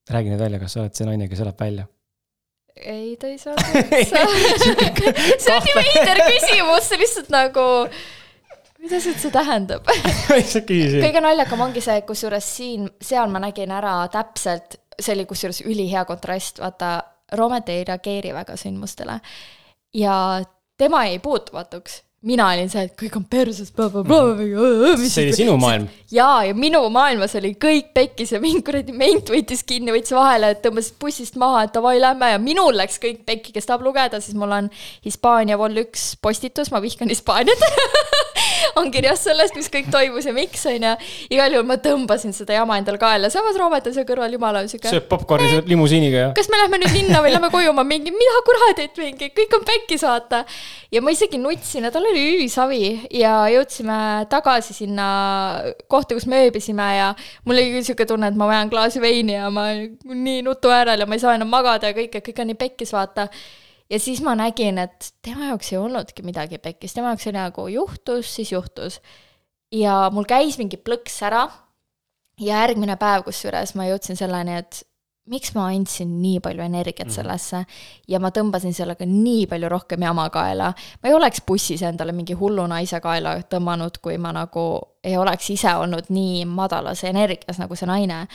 Räägi nüüd välja, kas sa oled see naine, kes elab välja? Ei, ta ei saa vitsa. See on nii veider küsimus, see lihtsalt nagu... Mida see tähendab? Kõige naljakam ongi see, kusjuures seal ma nägin ära täpselt, see oli kusjuures ülihea kontrast, vaata, Roomet ei reageeri väga sündmustele. Ja tema ei puutumatuks. Mina olin see, et kõik on perses, see oli sinu maailm. Ja minu maailmas oli kõik pekkis ja mind kuradi ment võttis kinni, võttis vahele, et tõmbasid bussist maha, et davai lämme ja minul läks kõik pekki, kes tahab lugeda, siis mul on Hispaania vol 1 postitus, ma vihkan Hispaaniat. On kirjas sellest, mis kõik toimus ja miks on ja igal juhul ma tõmbasin seda jama endal kaela. Samas Roomet on see kõrval jumala süke. Sööb popcorni limusiiniga ja. Kas me lähme nüüd linna või lähme koju? Ma mingi, mida kuradit mingi, kõik on pekki saata. Ja ma isegi nutsin ja tal oli ülisavi ja jõudsime tagasi sinna kohta, kus me ööbisime ja mul oli küll süke tunne, et ma vajan klaasi veini ja ma nii nutu äärel ja ma ei saa enam magada ja kõik on nii pekkis vaata. Ja siis ma nägin, et tema jaoks ei olnudki midagi pekkis. Tema jaoks oli nagu juhtus, siis juhtus. Ja mul käis mingi plõks ära ja järgmine päev, kus üles ma jõudsin selleni, et miks ma andsin nii palju energiat sellesse ja ma tõmbasin sellega nii palju rohkem jama kaela. Ma ei oleks bussis endale mingi hullu naise kaela tõmmanud, kui ma nagu ei oleks ise olnud nii madalas energias nagu see naine.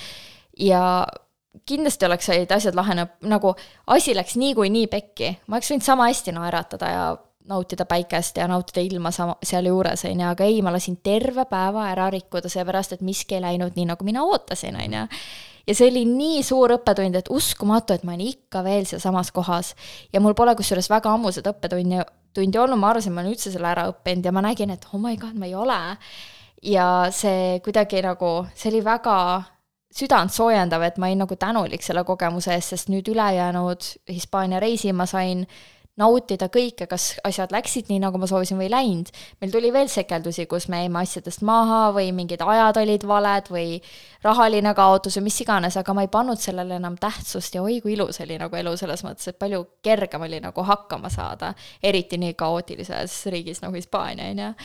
Ja kindlasti oleks said asjad lahene, nagu asi läks nii pekki. Ma oleks võinud sama hästi naeratada ja nautida päikest ja nautida ilma seal juures, aga ei, ma lasin terve päeva ära rikkuda seepärast, et miski ei läinud nii, nagu mina ootasin. Ja see oli nii suur õppetund, et uskumatu, et ma olen ikka veel seal samas kohas. Ja mul pole kusjuures väga ammu seda õppetundi olnud, ma arvasin, ma olen üldse selle ära õppinud ja ma nägin, et oh my god, ma ei ole. Ja see kuidagi nagu, see oli väga südant soojendav, et ma olin nagu tänulik selle kogemuse eest, sest nüüd ülejäänud Hispaania reisi ma sain nautida kõike, kas asjad läksid nii, nagu ma soovisin või läinud. Meil tuli veel sekeldusi, kus me jäime asjadest maha või mingid ajad olid valed või rahaline kaotus või mis iganes, aga ma ei pannud sellele enam tähtsust ja oi, kui ilus oli nagu elu selles mõttes, et palju kergem oli nagu hakkama saada, eriti nii kaootilises riigis nagu Hispaania.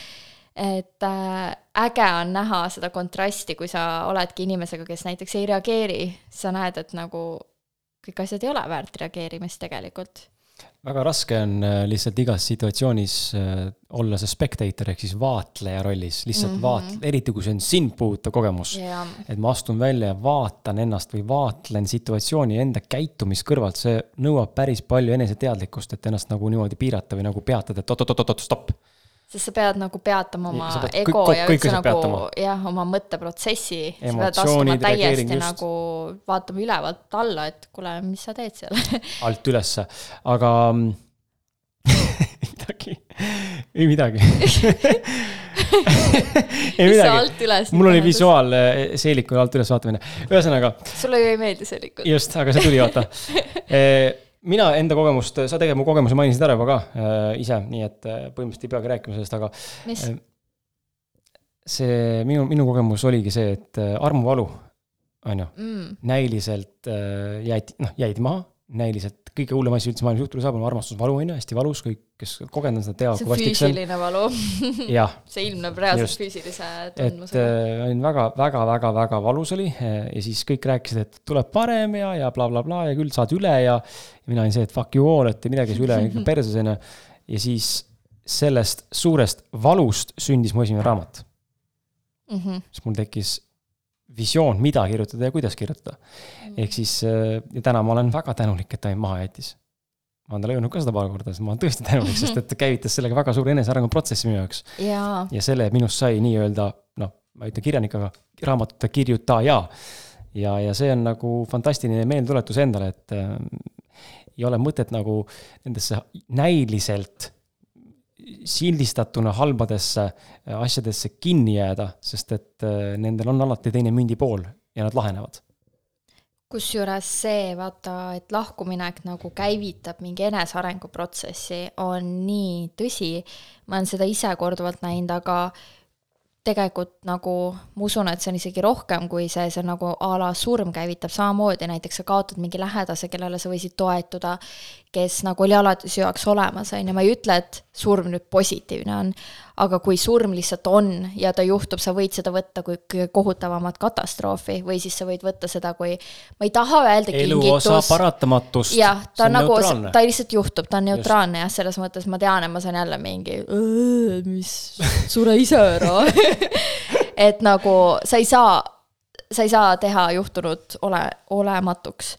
Et äge on näha seda kontrasti, kui sa oledki inimesega, kes näiteks ei reageeri, sa näed, et nagu kõik asjad ei ole väärt reageerimist tegelikult. Väga raske on lihtsalt igas situatsioonis olla see spectator ehk siis vaatleja rollis, lihtsalt eriti kui see on sind puuta kogemus, et ma astun välja ja vaatan ennast või vaatlen situatsiooni enda käitumist kõrvalt, see nõuab päris palju eneseteadlikkust, et ennast nagu niimoodi piirata või nagu peatada, et stopp. Sest sa pead nagu peatama oma ego ja üldse nagu oma mõtteprotsessi. Sa pead astuma täiesti nagu vaatama ülevalt alla, et kuule, mis sa teed seal? Alt ülesse. Aga ei midagi. Mis sa alt üles? Mul oli visuaal seeliku alt üles vaatamine. Ühesõnaga. Sulle ju ei meeldi seelikud. Just, aga see tuli vaata. Mina enda kogemust, sa tegelikult mu kogemusi mainisid ära juba ka ise, nii et põhimõtteliselt ei peagi rääkima sellest, aga mis? See minu kogemus oligi see, et armuvalu on ju, näiliselt jäid maha, näiliselt kõige hullem asi üldse maailmas juhtuda saab, on armastusvalu, on ju, hästi valus, kõik, kes kogenud seda teavad, kui vastik see on. See füüsiline valu. See ilmneb reaalselt füüsilise tundmusega. Et olin väga valus oli ja siis kõik rääkisid, et tuleb parem ja bla bla bla ja küll saad üle ja mina olin see, et fuck you all, et midagi üle persesena. Ja siis sellest suurest valust sündis mu esimene raamat. Siis mul tekkis visioon, mida kirjutada ja kuidas kirjutada. Ehk siis ja täna ma olen väga tänulik, et ta maha jättis. Ma olen talle öelnud ka seda paar korda, sest ma olen tõesti tänulik, sest et käivitas sellega väga suur enesearengu protsessi minu jaoks. Ja selle minust sai nii öelda, ma ütlen kirjanikaga, raamatute kirjutaja. Ja see on nagu fantastiline meeltuletus endale, et ei ole mõtet nagu nendesse näiliselt sildistatuna halbadesse asjadesse kinni jääda, sest et nendel on alati teine mündi pool ja nad lahenevad. Kusjuures see, vaata, et lahkuminek nagu käivitab mingi enesearengu protsessi, on nii tõsi. Ma olen seda ise korduvalt näinud, aga tegelikult nagu ma usun, et see on isegi rohkem kui see nagu a la surm käivitab samamoodi, näiteks sa kaotad mingi lähedase, kellele sa võisid toetuda, kes nagu oli alati su jaoks olemas, ja ma ei ütle, et surm nüüd positiivne on, aga kui surm lihtsalt on ja ta juhtub, sa võid seda võtta kui kohutavamat katastroofi või siis sa võid võtta seda kui, ma ei taha öelda kingitus. Eluosa paratamatust. Jah, ta on nagu, ta lihtsalt juhtub, ta on neutraalne ja selles mõttes ma tean, et ma saan jälle mingi, mis sure ise ära. Et nagu sa ei saa teha juhtunud olematuks.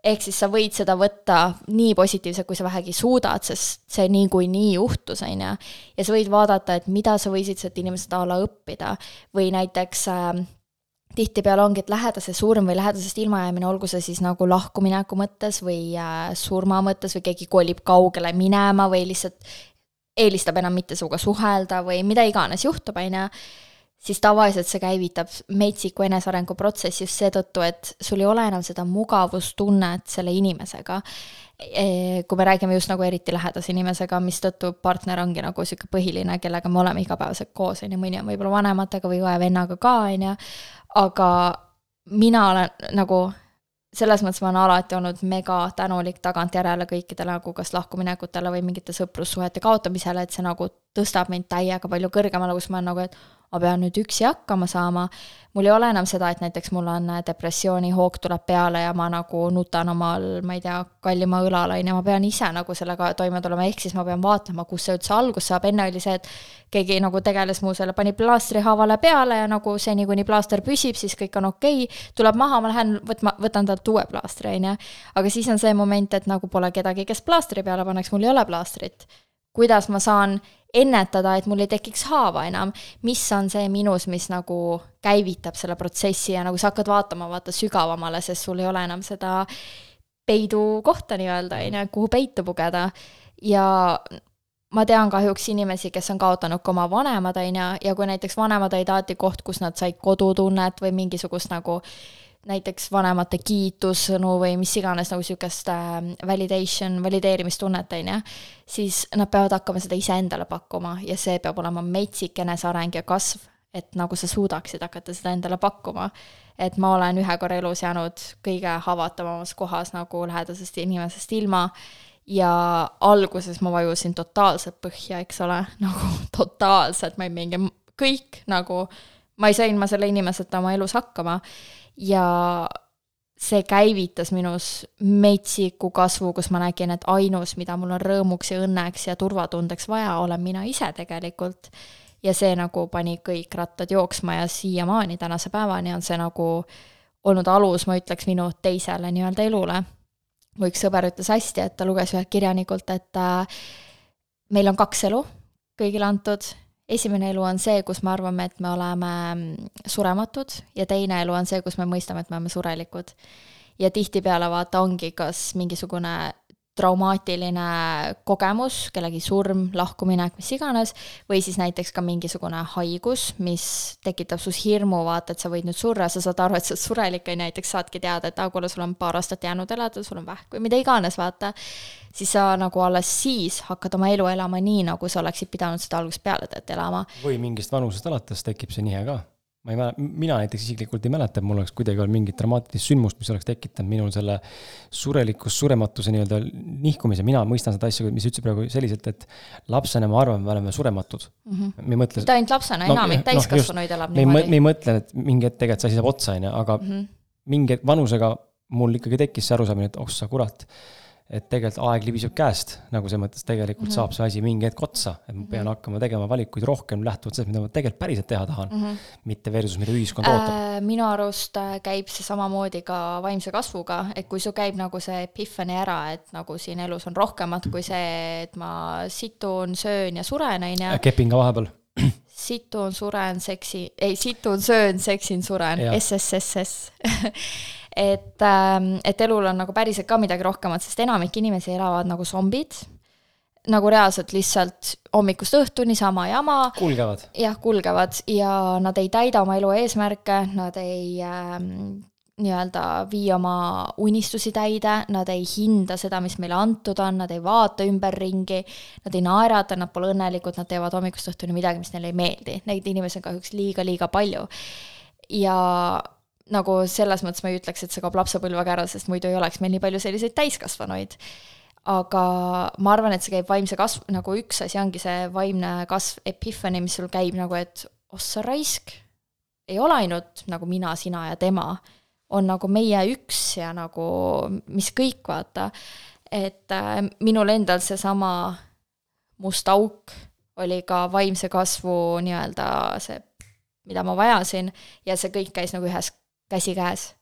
ehk siis sa võid seda võtta nii positiivselt, kui sa vähegi suudad, sest see nii juhtus, on ju. Ja sa võid vaadata, et mida sa võisid sealt inimesed ala õppida või näiteks tihtipeale ongi, et lähedase surm või lähedasest ilmajäämine, olgu see siis nagu lahkumineku mõttes või surma mõttes või keegi kolib kaugele minema või lihtsalt eelistab enam mitte sinuga suhelda või mida iganes juhtub, on ju, siis tavaliselt see käivitab metsiku enesearengu protsessi just seetõttu, et sul ei ole enam seda mugavustunnet selle inimesega. Kui me räägime just nagu eriti lähedase inimesega, mis tõttu partner ongi nagu siuke põhiline, kellega me oleme igapäevaselt koos, on ju, mõni on võib-olla vanematega või vennaga ka, on ju, aga mina olen nagu selles mõttes ma olen alati olnud mega tänulik tagantjärele kõikidele nagu kas lahkuminekutele või mingite sõprussuhete kaotamisele, et see nagu tõstab mind täiega palju kõrgemale, kus ma olen nagu, et ma pean nüüd üksi hakkama saama. Mul ei ole enam seda, et näiteks mul on depressiooni hoog tuleb peale ja ma nagu nutan omal, ma ei tea, kallima õlalain ja ma pean ise nagu sellega toime tulema, ehk siis ma pean vaatlema, kus see üldse algus saab. Enne oli see, et keegi nagu tegeles muu selle, pani plaastri haavale peale ja nagu seni, kuni plaaster püsib, siis kõik on okei. Tuleb maha, ma lähen võtan talt uue plaastri, on ju. Aga siis on see moment, et nagu pole kedagi, kes plaastri peale paneks, mul ei ole plaastrit. Kuidas ma saan ennetada, et mul ei tekiks haava enam, mis on see minus, mis nagu käivitab selle protsessi ja nagu sa hakkad vaata sügavamale, sest sul ei ole enam seda peidu kohta nii-öelda, kuhu peitu pugeda. Ja ma tean kahjuks inimesi, kes on kaotanud ka oma vanemad, ja kui näiteks vanemad olid alati koht, kus nad said kodutunnet või mingisugust nagu näiteks vanemate kiitussõnu või mis iganes nagu sükest valideerimistunnet, siis nad peavad hakkama seda ise endale pakkuma ja see peab olema metsik eneseareng ja kasv, et nagu sa suudaksid hakata seda endale pakkuma. Et ma olen ühe korra elus jäänud kõige haavatavamas kohas nagu lähedasest inimesest ilma ja alguses ma vajusin totaalselt põhja, eks ole, nagu totaalselt, ma ei mingi kõik nagu, ma ei sain selle inimeseta oma elus hakkama. Ja see käivitas minus metsiku kasvu, kus ma nägin, et ainus, mida mul on rõõmuks ja õnneks ja turvatundeks vaja, olen mina ise tegelikult. Ja see nagu pani kõik rattad jooksma ja siiamaani tänase päevani on see nagu olnud alus, ma ütleks, minu teisele nii-öelda elule. Mu üks sõber ütles hästi, et ta luges ühelt kirjanikult, et meil on 2 elu kõigile antud. Esimene elu on see, kus me arvame, et me oleme surematud ja teine elu on see, kus me mõistame, et me oleme surelikud. Ja tihtipeale vaata ongi kas mingisugune traumaatiline kogemus, kellegi surm, lahkuminek, mis iganes, või siis näiteks ka mingisugune haigus, mis tekitab sus hirmu, vaata, et sa võid nüüd surra, sa saad aru, et sa surelik ja näiteks saadki teada, et kuule, sul on 2 aastat jäänud elada, sul on vähk või mida iganes, vaata, siis sa nagu alles siis hakkad oma elu elama nii, nagu sa oleksid pidanud seda algusest peale elama. Või mingist vanusest alates tekib see nihe ka. Mina näiteks isiklikult ei mäleta, et mul oleks kuidagi olnud mingit dramaatilist sündmust, mis oleks tekitanud minul selle surelikus, surematuse nii-öelda nihkumise. Mina mõistan seda asja, mis ütles praegu selliselt, et lapsena ma arvan, me oleme surematud. Me mõtle, mitte ainult lapsena, enamik täiskasvanuid elab niimoodi. Me ei mõtle, et mingi hetk tegelikult see asi saab otsa, aga mingi vanusega mul ikkagi tekkis see arusaamine, et sa kurat, et tegelikult aeg libiseb käest, nagu see mõttes tegelikult saab see asi mingi hetk otsa, et ma pean hakkama tegema valikuid rohkem lähtuvalt sellest, mida ma tegelikult päriselt teha tahan, mitte versus, mida ühiskond ootab. Minu arust käib see samamoodi ka vaimse kasvuga, et kui su käib nagu see epiphany ära, et nagu siin elus on rohkemat kui see, et ma situn, söön ja suren, Kepin ka vahepeal. Situn, söön, seksin, suren, SSSS. et elul on nagu päriselt ka midagi rohkemat, sest enamik inimesi elavad nagu zombid, nagu reaalselt lihtsalt hommikust õhtuni sama jama. Kulgevad. Jah, kulgevad ja nad ei täida oma elu eesmärke, nad ei nii-öelda vii oma unistusi täide, nad ei hinda seda, mis meile antud on, nad ei vaata ümberringi, nad ei naerata, nad pole õnnelikud, nad teevad hommikust õhtuni midagi, mis neile ei meeldi. Neid inimesi on kahjuks liiga palju. Ja nagu selles mõttes ma ei ütleks, et see kaob lapsepõlvega ära, sest muidu ei oleks meil nii palju selliseid täiskasvanuid. Aga ma arvan, et see käib vaimse kasv, nagu üks asi ongi see vaimne kasv epiphany, mis sul käib nagu, et ossa raisk, ei ole ainult nagu mina, sina ja tema, on nagu meie üks ja nagu mis kõik, vaata. Et minul endal see sama must auk oli ka vaimse kasvu nii-öelda see, mida ma vajasin ja see kõik käis nagu ühes käsikäes.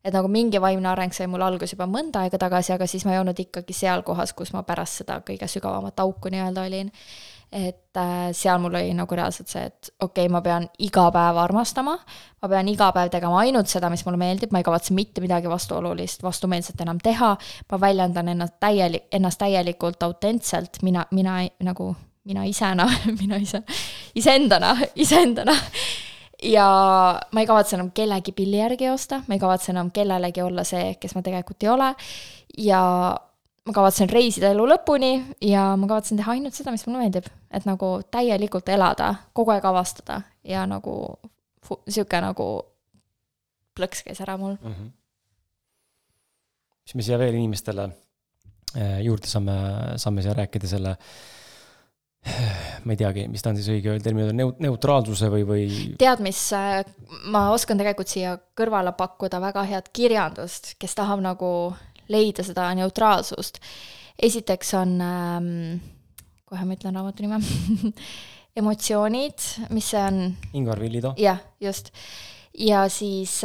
et nagu mingi vaimne areng sai mul algus juba mõnda aega tagasi, aga siis ma ei olnud ikkagi seal kohas, kus ma pärast seda kõige sügavamat auku nii-öelda olin. Et seal mul oli nagu reaalselt see, et okei, ma pean iga päev armastama, ma pean iga päev tegema ainult seda, mis mulle meeldib, ma ei kavatse mitte midagi vastuolulist, vastumeelset enam teha, ma väljendan ennast täielikult autentselt, iseendana. Ja ma ei kavatse enam kellegi pilli järgi osta, ma ei kavatse enam kellelegi olla see, kes ma tegelikult ei ole, ja ma kavatsen reisida elu lõpuni ja ma kavatsen teha ainult seda, mis mulle meeldib, et nagu täielikult elada, kogu aeg avastada ja nagu siuke nagu plõks käis ära mul. Mis me siia veel inimestele juurde saame siia rääkida selle, ma ei teagi, mis ta on siis õige termin, neutraalsuse või... Tead, mis ma oskan tegelikult siia kõrvale pakkuda väga head kirjandust, kes tahab nagu leida seda neutraalsust. Esiteks on, kohe ma ütlen raamatu nime, emotsioonid, mis see on? Ingvar Villido. Jah, just. Ja siis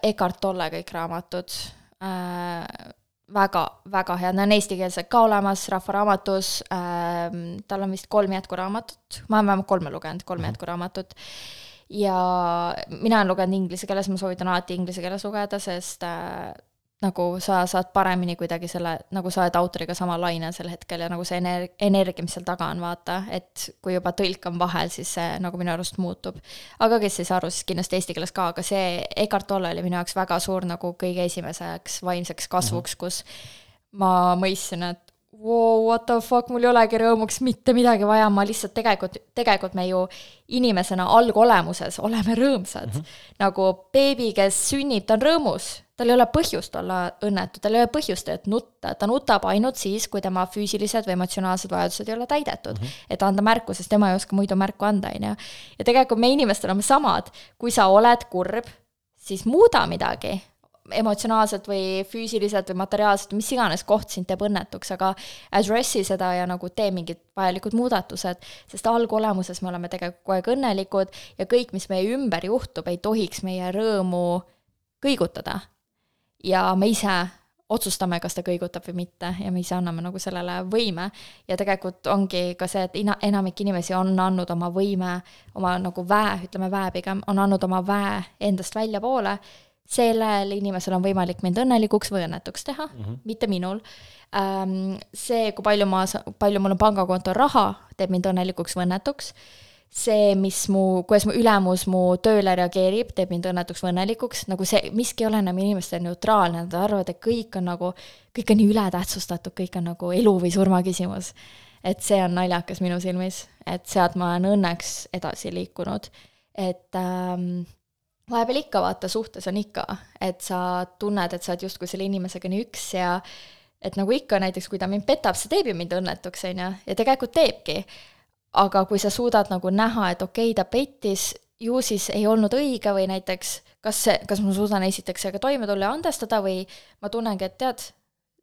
Eckhart Tolle kõik raamatud. Väga, väga head. Nad on eestikeelsed ka olemas Rahvaraamatus. Tal on vist 3 jätkuraamatut. Ma olen vähemalt 3 lugenud, 3 jätkuraamatut. Ja mina olen lugenud inglise keeles, ma soovitan alati inglise keeles lugeda, sest nagu sa saad paremini kuidagi selle, nagu sa oled autoriga sama laine sel hetkel ja nagu see energia, mis seal taga on, vaata, et kui juba tõlk on vahel, siis see nagu minu arust muutub. Aga kes ei saa aru, siis kindlasti eesti keeles ka, aga see Eckhart Tolle oli minu jaoks väga suur nagu kõige esimeseks vaimseks kasvuks, kus ma mõistsin, et wow, what the fuck, mul ei olegi rõõmuks mitte midagi vaja, ma lihtsalt tegelikult me ju inimesena algolemuses oleme rõõmsad. Nagu beebi, kes sünnib, ta on rõõmus, tal ei ole põhjust olla õnnetu, tal ei ole põhjust, et nutta, ta nutab ainult siis, kui tema füüsilised või emotsionaalsed vajadused ei ole täidetud, et anda märku, sest tema ei oska muidu märku anda, ja tegelikult me inimestel oleme samad, kui sa oled kurb, siis muuda midagi, emotsionaalselt või füüsiliselt või materiaalselt, mis iganes koht sind teeb õnnetuks, aga addressi seda ja nagu tee mingid vajalikud muudatused, sest algolemuses me oleme tegelikult kogu aeg õnnelikud ja kõik, mis meie ümber juhtub, ei tohiks meie rõõmu kõigutada. Ja me ise otsustame, kas ta kõigutab või mitte ja me ise anname nagu sellele võime ja tegelikult ongi ka see, et enamik inimesi on andnud oma võime, oma nagu ütleme pigem, on andnud oma väe endast välja poole, sellel inimesel on võimalik mind õnnelikuks või õnnetuks teha, mitte minul. See, kui palju mul on pangakonto raha, teeb mind õnnelikuks või õnnetuks. See, kuidas mu ülemus mu tööle reageerib, teeb mind õnnetuks või õnnelikuks, nagu see, miski ei ole enam inimestel neutraalne, nad arvavad, et kõik on nii ületähtsustatud, kõik on nagu elu või surma küsimus. Et see on naljakas minu silmis, et sealt ma olen õnneks edasi liikunud, et vahepeal ikka vaata suhtes on ikka, et sa tunned, et sa oled justkui selle inimesega nii üks ja et nagu ikka näiteks, kui ta mind petab, see teeb ju mind õnnetuks, ja tegelikult teebki. Aga kui sa suudad nagu näha, et okei, ta pettis, ju siis ei olnud õige või näiteks, kas ma suudan esiteks aga toime tulla ja andestada või ma tunnengi, et tead,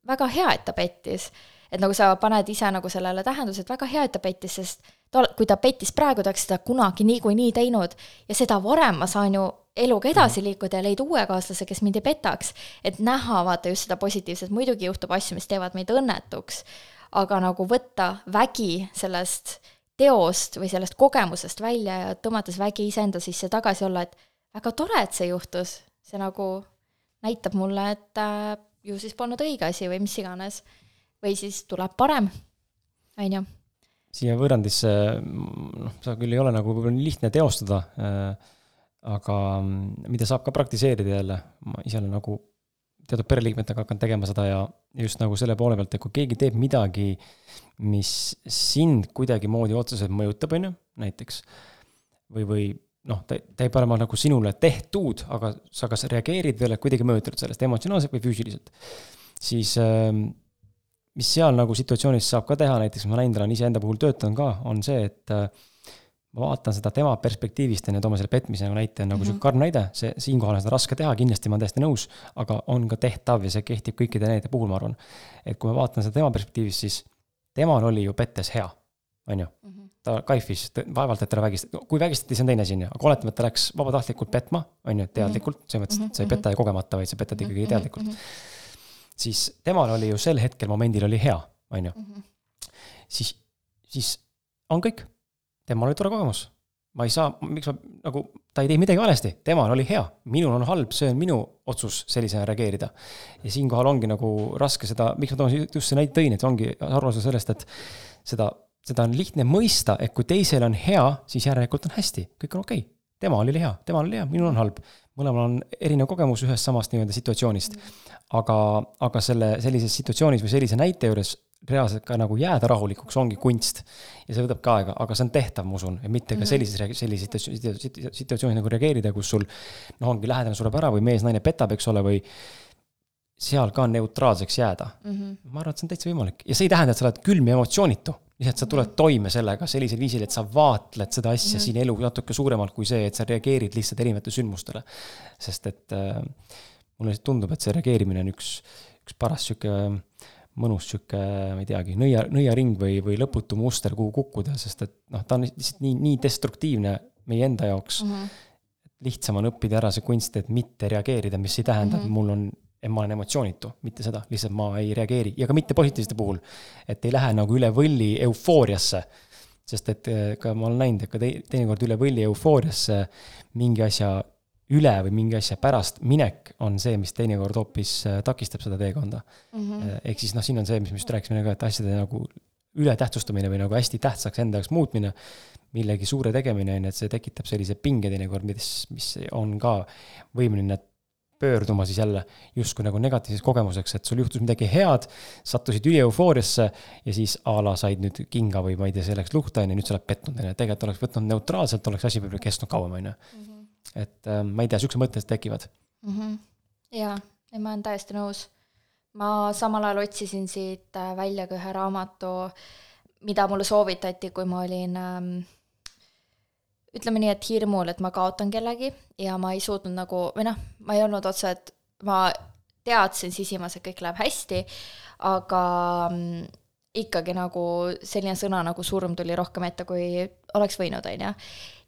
väga hea, et ta pettis. Et nagu sa paned ise nagu sellele tähendus, et väga hea, et ta pettis, sest kui ta pettis praegu, ta oleks seda kunagi nii teinud ja seda varem ma saan ju eluga edasi liikuda ja leida uue kaaslase, kes mind ei petaks. Et näha vaata just seda positiivset, muidugi juhtub asju, mis teevad meid õnnetuks, aga nagu võtta vägi sellest teost või sellest kogemusest välja ja tõmmates vägi iseenda sisse tagasi olla, et väga tore, et see juhtus. See nagu näitab mulle, et ju siis polnud õige asi või mis iganes. Või siis tuleb parem. Aino. Siia võrrandisse, sa küll ei ole nagu nii lihtne teostada, aga mida saab ka praktiseerida jälle. Ma ise olen nagu teatud pereliikmetega hakanud tegema seda ja just nagu selle poole pealt, et kui keegi teeb midagi, mis sind kuidagi moodi otseselt mõjutab, näiteks, või ta ei pole nagu sinule tehtud, aga sa kas reageerid veel, et kuidagi mõjutanud sellest emotsionaalselt või füüsiliselt, siis mis seal nagu situatsioonis saab ka teha, näiteks ma näinud olen ise enda puhul töötan ka, on see, et ma vaatan seda tema perspektiivist ja toome selle petmise näite, nagu see karm näide, siinkohal on seda raske teha, kindlasti ma olen täiesti nõus, aga on ka tehtav ja see kehtib kõikide näite puhul, ma arvan. Et kui ma vaatan seda tema perspektiivist, siis temal oli ju pettes hea, on ju? ta kaifis, vaevalt, et ta vägistati, kui vägistati, see on teine siin, aga oletame, et ta läks vabatahtlikult petma, on ju, teadlikult, see mõttes, et sa ei peta ja kogemata, vaid sa petad ikkagi teadlikult. Siis temal oli ju sel hetkel momendil oli hea, on ju. Siis on kõik. Temal oli tore kogemus. Ma ei saa, miks ma, nagu, ta ei tee midagi valesti, temal oli hea, minul on halb, see on minu otsus sellisena reageerida. Ja siinkohal ongi nagu raske seda, miks ma toon just see näite tõin, et ongi arvamus sellest, et seda on lihtne mõista, et kui teisel on hea, siis järelikult on hästi, kõik on okei. Temal oli hea, minul on halb. Mõlemal on erinev kogemus ühest samast nii-öelda situatsioonist. Aga sellises situatsioonis või sellise näite juures reaalselt ka nagu jääda rahulikuks ongi kunst. Ja see võtab ka aega, aga see on tehtav, ma usun, ja mitte ka sellises situatsioonis nagu reageerida, kus sul ongi lähedane sureb ära või mees naine petab, eks ole, või seal ka neutraalseks jääda. Ma arvan, et see on täitsa võimalik. Ja see ei tähenda, et sa oled külm ja emotsioonitu. Lihtsalt sa tuled toime sellega sellisel viisil, et sa vaatled seda asja siin elu natuke suuremalt kui see, et sa reageerid lihtsalt erinevate sündmustele. Sest et mulle tundub, et see reageerimine on üks paras süke mõnus süke, ma ei teagi, nõiaring või lõputu muster, kuhu kukkuda, sest et ta on lihtsalt nii destruktiivne meie enda jaoks. Lihtsam on õppida ära see kunst, et mitte reageerida, mis ei tähenda, et ma olen emotsioonitu, mitte seda, lihtsalt ma ei reageeri. Ja ka mitte positiivsete puhul, et ei lähe nagu üle võlli eufooriasse, sest et ka ma olen näinud, et ka teinekord üle võlli eufooriasse mingi asja üle või mingi asja pärast minek on see, mis teinekord hoopis takistab seda teekonda. Ehk siis siin on see, mis me just rääkisime, et asjade nagu üle tähtsustamine või nagu hästi tähtsaks enda jaoks muutmine, millegi suure tegemine, et see tekitab sellise pinge teinekord, mis on ka võimeline pöörduma siis jälle justkui nagu negatiivses kogemuseks, et sul juhtus midagi head, sattusid üli eufooriasse ja siis ala said nüüd kinga või ma ei tea, selleks luhta ja nüüd sa oled pettunud. Tegelikult oleks võtnud neutraalselt, oleks asi võib-olla kestnud kauem. Et ma ei tea, sükse mõtted tekivad. Jaa, ma olen täiesti nõus. Ma samal ajal otsisin siit välja ka ühe raamatu, mida mulle soovitati, kui ma olin ütleme nii, et hirmul, et ma kaotan kellegi ja ma ei suutnud nagu, ma ei olnud otse, et ma teadsin sisimas, et kõik läheb hästi, aga ikkagi nagu selline sõna nagu surm tuli rohkem ette, kui oleks võinud, on.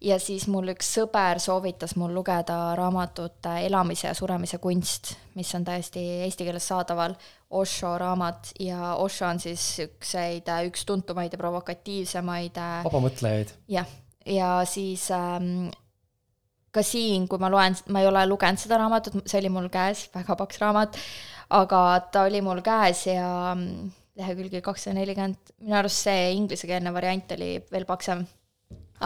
Ja siis mul üks sõber soovitas mul lugeda raamatut Elamise ja suremise kunst, mis on täiesti eesti keeles saadaval, Osho raamat, ja Osho on siis üks tuntumaid ja provokatiivsemaid vabamõtlejaid. Jah. Ja siis ka siin, kui ma ei ole lugenud seda raamatut, see oli mul käes, väga paks raamat, aga ta oli mul käes ja lehekülgi 240, minu arust see inglisekeelne variant oli veel paksem.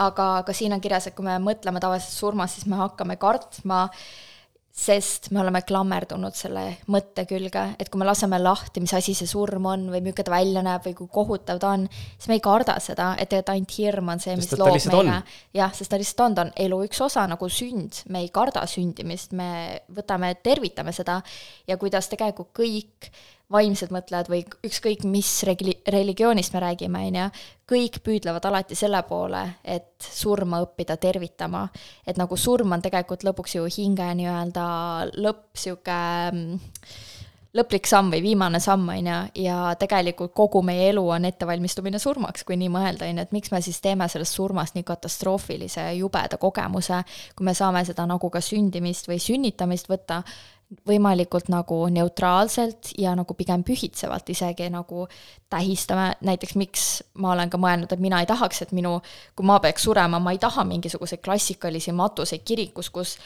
Aga ka siin on kirjas, et kui me mõtleme tavaliselt surmas, siis me hakkame kartma, sest me oleme klammerdunud selle mõtte külge, et kui me laseme lahti, mis asi see surm on või milline ta välja näeb või kui kohutav ta on, siis me ei karda seda, et ainult hirm on see, mis loob meile. Jah, sest ta lihtsalt on elu üks osa nagu sünd, me ei karda sündimist, me tervitame seda ja kuidas tegelikult kõik vaimsed mõtlejad või ükskõik mis religioonist me räägime, kõik püüdlevad alati selle poole, et surma õppida tervitama. Et nagu surm on tegelikult lõpuks ju hinge nii-öelda lõplik samm või viimane samm, ja tegelikult kogu meie elu on ettevalmistumine surmaks, kui nii mõelda, et miks me siis teeme sellest surmast nii katastroofilise jubeda kogemuse, kui me saame seda nagu ka sündimist või sünnitamist võtta võimalikult nagu neutraalselt ja nagu pigem pühitsevalt isegi nagu tähistame, näiteks miks ma olen ka mõelnud, et mina ei tahaks, et kui ma peaks surema, ma ei taha mingisuguseid klassikalisi matuseid kirikus, kus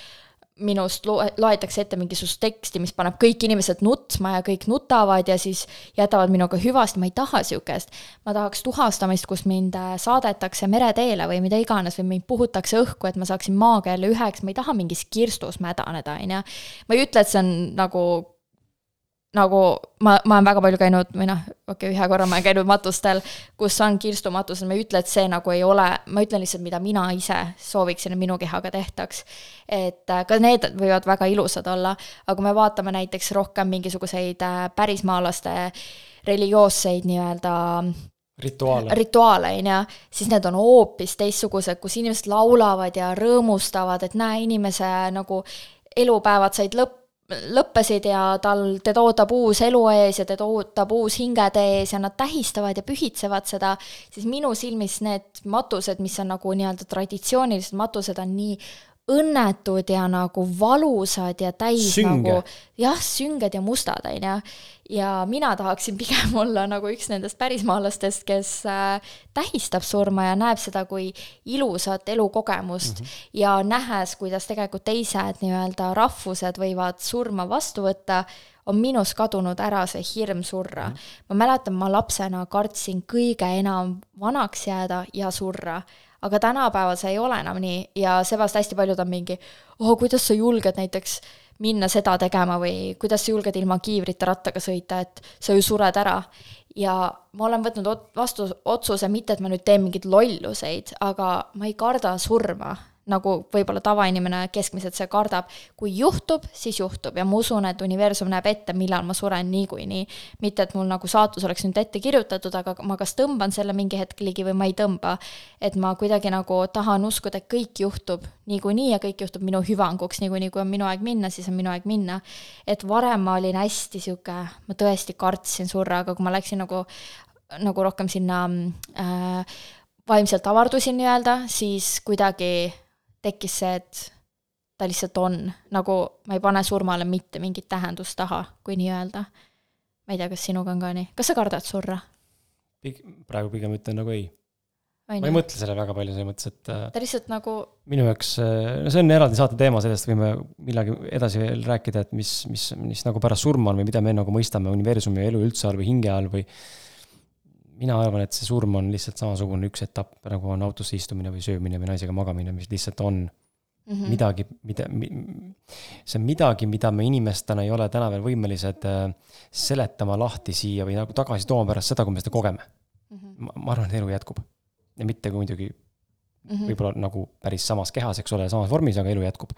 minust loetakse ette mingisugust teksti, mis paneb kõik inimesed nutma ja kõik nutavad ja siis jätavad minuga hüvasti, ma ei taha siukest. Ma tahaks tuhastamist, kus mind saadetakse mereteele või mida iganes või mind puhutakse õhku, et ma saaksin maaga jälle üheks, ma ei taha mingis kirstus mädaneda. Ma ei ütle, et see on nagu ma olen väga palju käinud, ühe korra ma olen käinud matustel, kus on kirstumatused, ma ei ütle, et see nagu ei ole, ma ütlen lihtsalt, mida mina ise sooviksin, et minu kehaga tehtaks. Et ka need võivad väga ilusad olla, aga kui me vaatame näiteks rohkem mingisuguseid pärismaalaste religioosseid nii-öelda rituaale, siis need on hoopis teistsugused, kus inimesed laulavad ja rõõmustavad, et näe, inimese nagu elupäevad said lõppesid ja teda ootab uus elu ees ja teda ootab uus hingede ees ja nad tähistavad ja pühitsevad seda, siis minu silmis need matused, mis on nagu nii-öelda traditsioonilised matused, on nii õnnetud ja nagu valusad ja täis Sünge. nagu, jah, sünged ja mustad, on ju. Ja mina tahaksin pigem olla nagu üks nendest pärismaalastest, kes tähistab surma ja näeb seda kui ilusat elukogemust ja nähes, kuidas tegelikult teised nii-öelda rahvused võivad surma vastu võtta, on minus kadunud ära see hirm surra. Ma mäletan, ma lapsena kartsin kõige enam vanaks jääda ja surra. Aga tänapäeval see ei ole enam nii ja seepärast hästi paljud on mingi, kuidas sa julged näiteks minna seda tegema või kuidas sa julged ilma kiivrita rattaga sõita, et sa ju sured ära. Ja ma olen võtnud vastu otsuse, mitte et ma nüüd teen mingid lolluseid, aga ma ei karda surma, nagu võib-olla tavainimene keskmiselt see kardab. Kui juhtub, siis juhtub ja ma usun, et universum näeb ette, millal ma suren niikuinii. Mitte, et mul nagu saatus oleks nüüd ette kirjutatud, aga ma kas tõmban selle mingi hetk ligi või ma ei tõmba. Et ma kuidagi nagu tahan uskuda, et kõik juhtub niikuinii ja kõik juhtub minu hüvanguks, niikuinii kui on minu aeg minna, siis on minu aeg minna. Et varem ma olin hästi siuke, ma tõesti kartsin surra, aga kui ma läksin nagu rohkem sinna vaimselt avardusin nii-öelda, siis kuidagi tekkis see, et ta lihtsalt on, nagu ma ei pane surmale mitte mingit tähendust taha, kui nii öelda. Ma ei tea, kas sinuga on ka nii. Kas sa kardad surra? Praegu pigem ütlen nagu ei. Ma ei mõtle selle väga palju, selles mõttes, et ta lihtsalt nagu minu jaoks, see on eraldi saate teema, sellest võime millagi edasi veel rääkida, et mis nagu pärast surma on või mida me nagu mõistame universumi elu üldse all või hinge all või mina arvan, et see surm on lihtsalt samasugune üks etapp, nagu on autosse istumine või söömine või naisega magamine, mis lihtsalt on midagi, see on midagi, mida me inimestena ei ole täna veel võimelised seletama lahti siia või nagu tagasi tooma pärast seda, kui me seda kogeme. Ma arvan, et elu jätkub. Ja mitte kui muidugi võib-olla nagu päris samas kehas, eks ole, samas vormis, aga elu jätkub.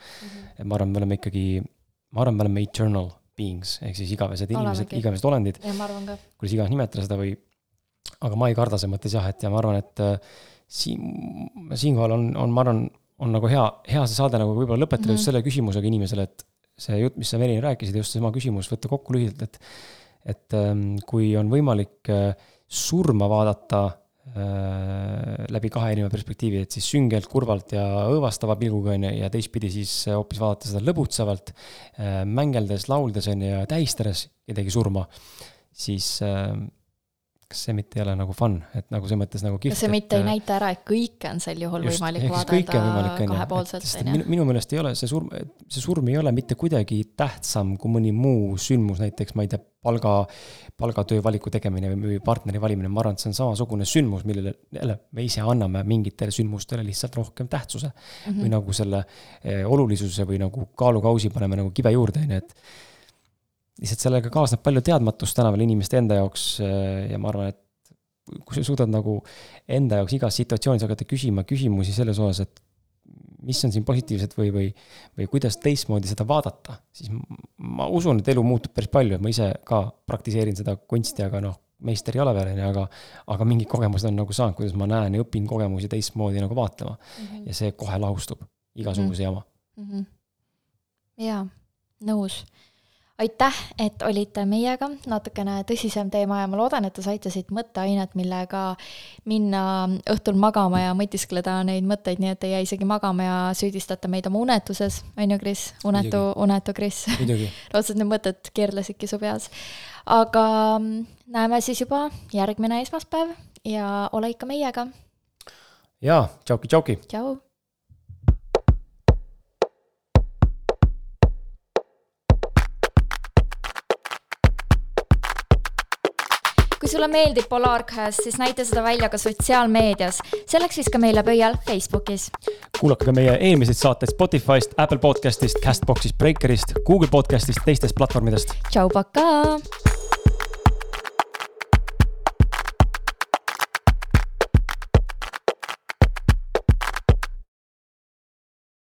Ma arvan, me oleme eternal beings, ehk siis igavesed inimesed, igavesed olendid. Ja ma arvan ka. Kuidas iganes nimetada seda või aga ma ei karda see mõttes jah, et ja ma arvan, et siinkohal on ma arvan, on nagu hea see saade nagu võib-olla lõpetada just selle küsimusega inimesele, et see jutt, mis sa Merine rääkisid, just seesama küsimus, võtta kokku lühidalt, et kui on võimalik surma vaadata läbi kahe erineva perspektiivi, et siis süngelt, kurvalt ja õõvastava pilguga ja teistpidi siis hoopis vaadata seda lõbutsevalt, mängeldes, lauldes ja tähistades kedagi surma, siis kas see mitte ei ole nagu fun, et nagu see mõttes nagu kihvt. See mitte ei näita ära, et kõike on sel juhul võimalik vaadata kahepoolselt. Minu meelest ei ole see surm ei ole mitte kuidagi tähtsam kui mõni muu sündmus, näiteks ma ei tea, palgatöö valiku tegemine või partneri valimine. Ma arvan, et see on samasugune sündmus, millele me ise anname mingitele sündmustele lihtsalt rohkem tähtsuse või nagu selle olulisuse või nagu kaalukausi paneme nagu kibe juurde, et lihtsalt sellega kaasneb palju teadmatust täna veel inimeste enda jaoks ja ma arvan, et kui sa suudad nagu enda jaoks igas situatsioonis hakata küsima küsimusi selles osas, et mis on siin positiivset või kuidas teistmoodi seda vaadata, siis ma usun, et elu muutub päris palju, ma ise ka praktiseerin seda kunsti, aga meister ei ole veel, aga mingid kogemused on nagu saanud, kuidas ma näen ja õpin kogemusi teistmoodi nagu vaatama ja see kohe lahustub igasuguse jama. Jaa, nõus. Aitäh, et olite meiega, natukene tõsisem teema ja ma loodan, et te saite siit mõtteainet, millega minna õhtul magama ja mõtiskleda neid mõtteid, nii et ei jää isegi magama ja süüdistate meid oma unetuses, on ju, Kris? Unetu Kris. Lootsed need mõtted keerlesidki su peas. Aga näeme siis juba järgmine esmaspäev ja ole ikka meiega. Jaa, tšauki. Tšau. Kui sulle meeldib Polarcast, siis näita seda välja ka sotsiaalmeedias. Selleks viska meile pöial Facebookis. Kuulake ka meie eelmiseid saateid Spotifyst, Apple Podcastist, Castboxist, Breakerist, Google Podcastist, teistest platvormidest. Tšau, pakaa!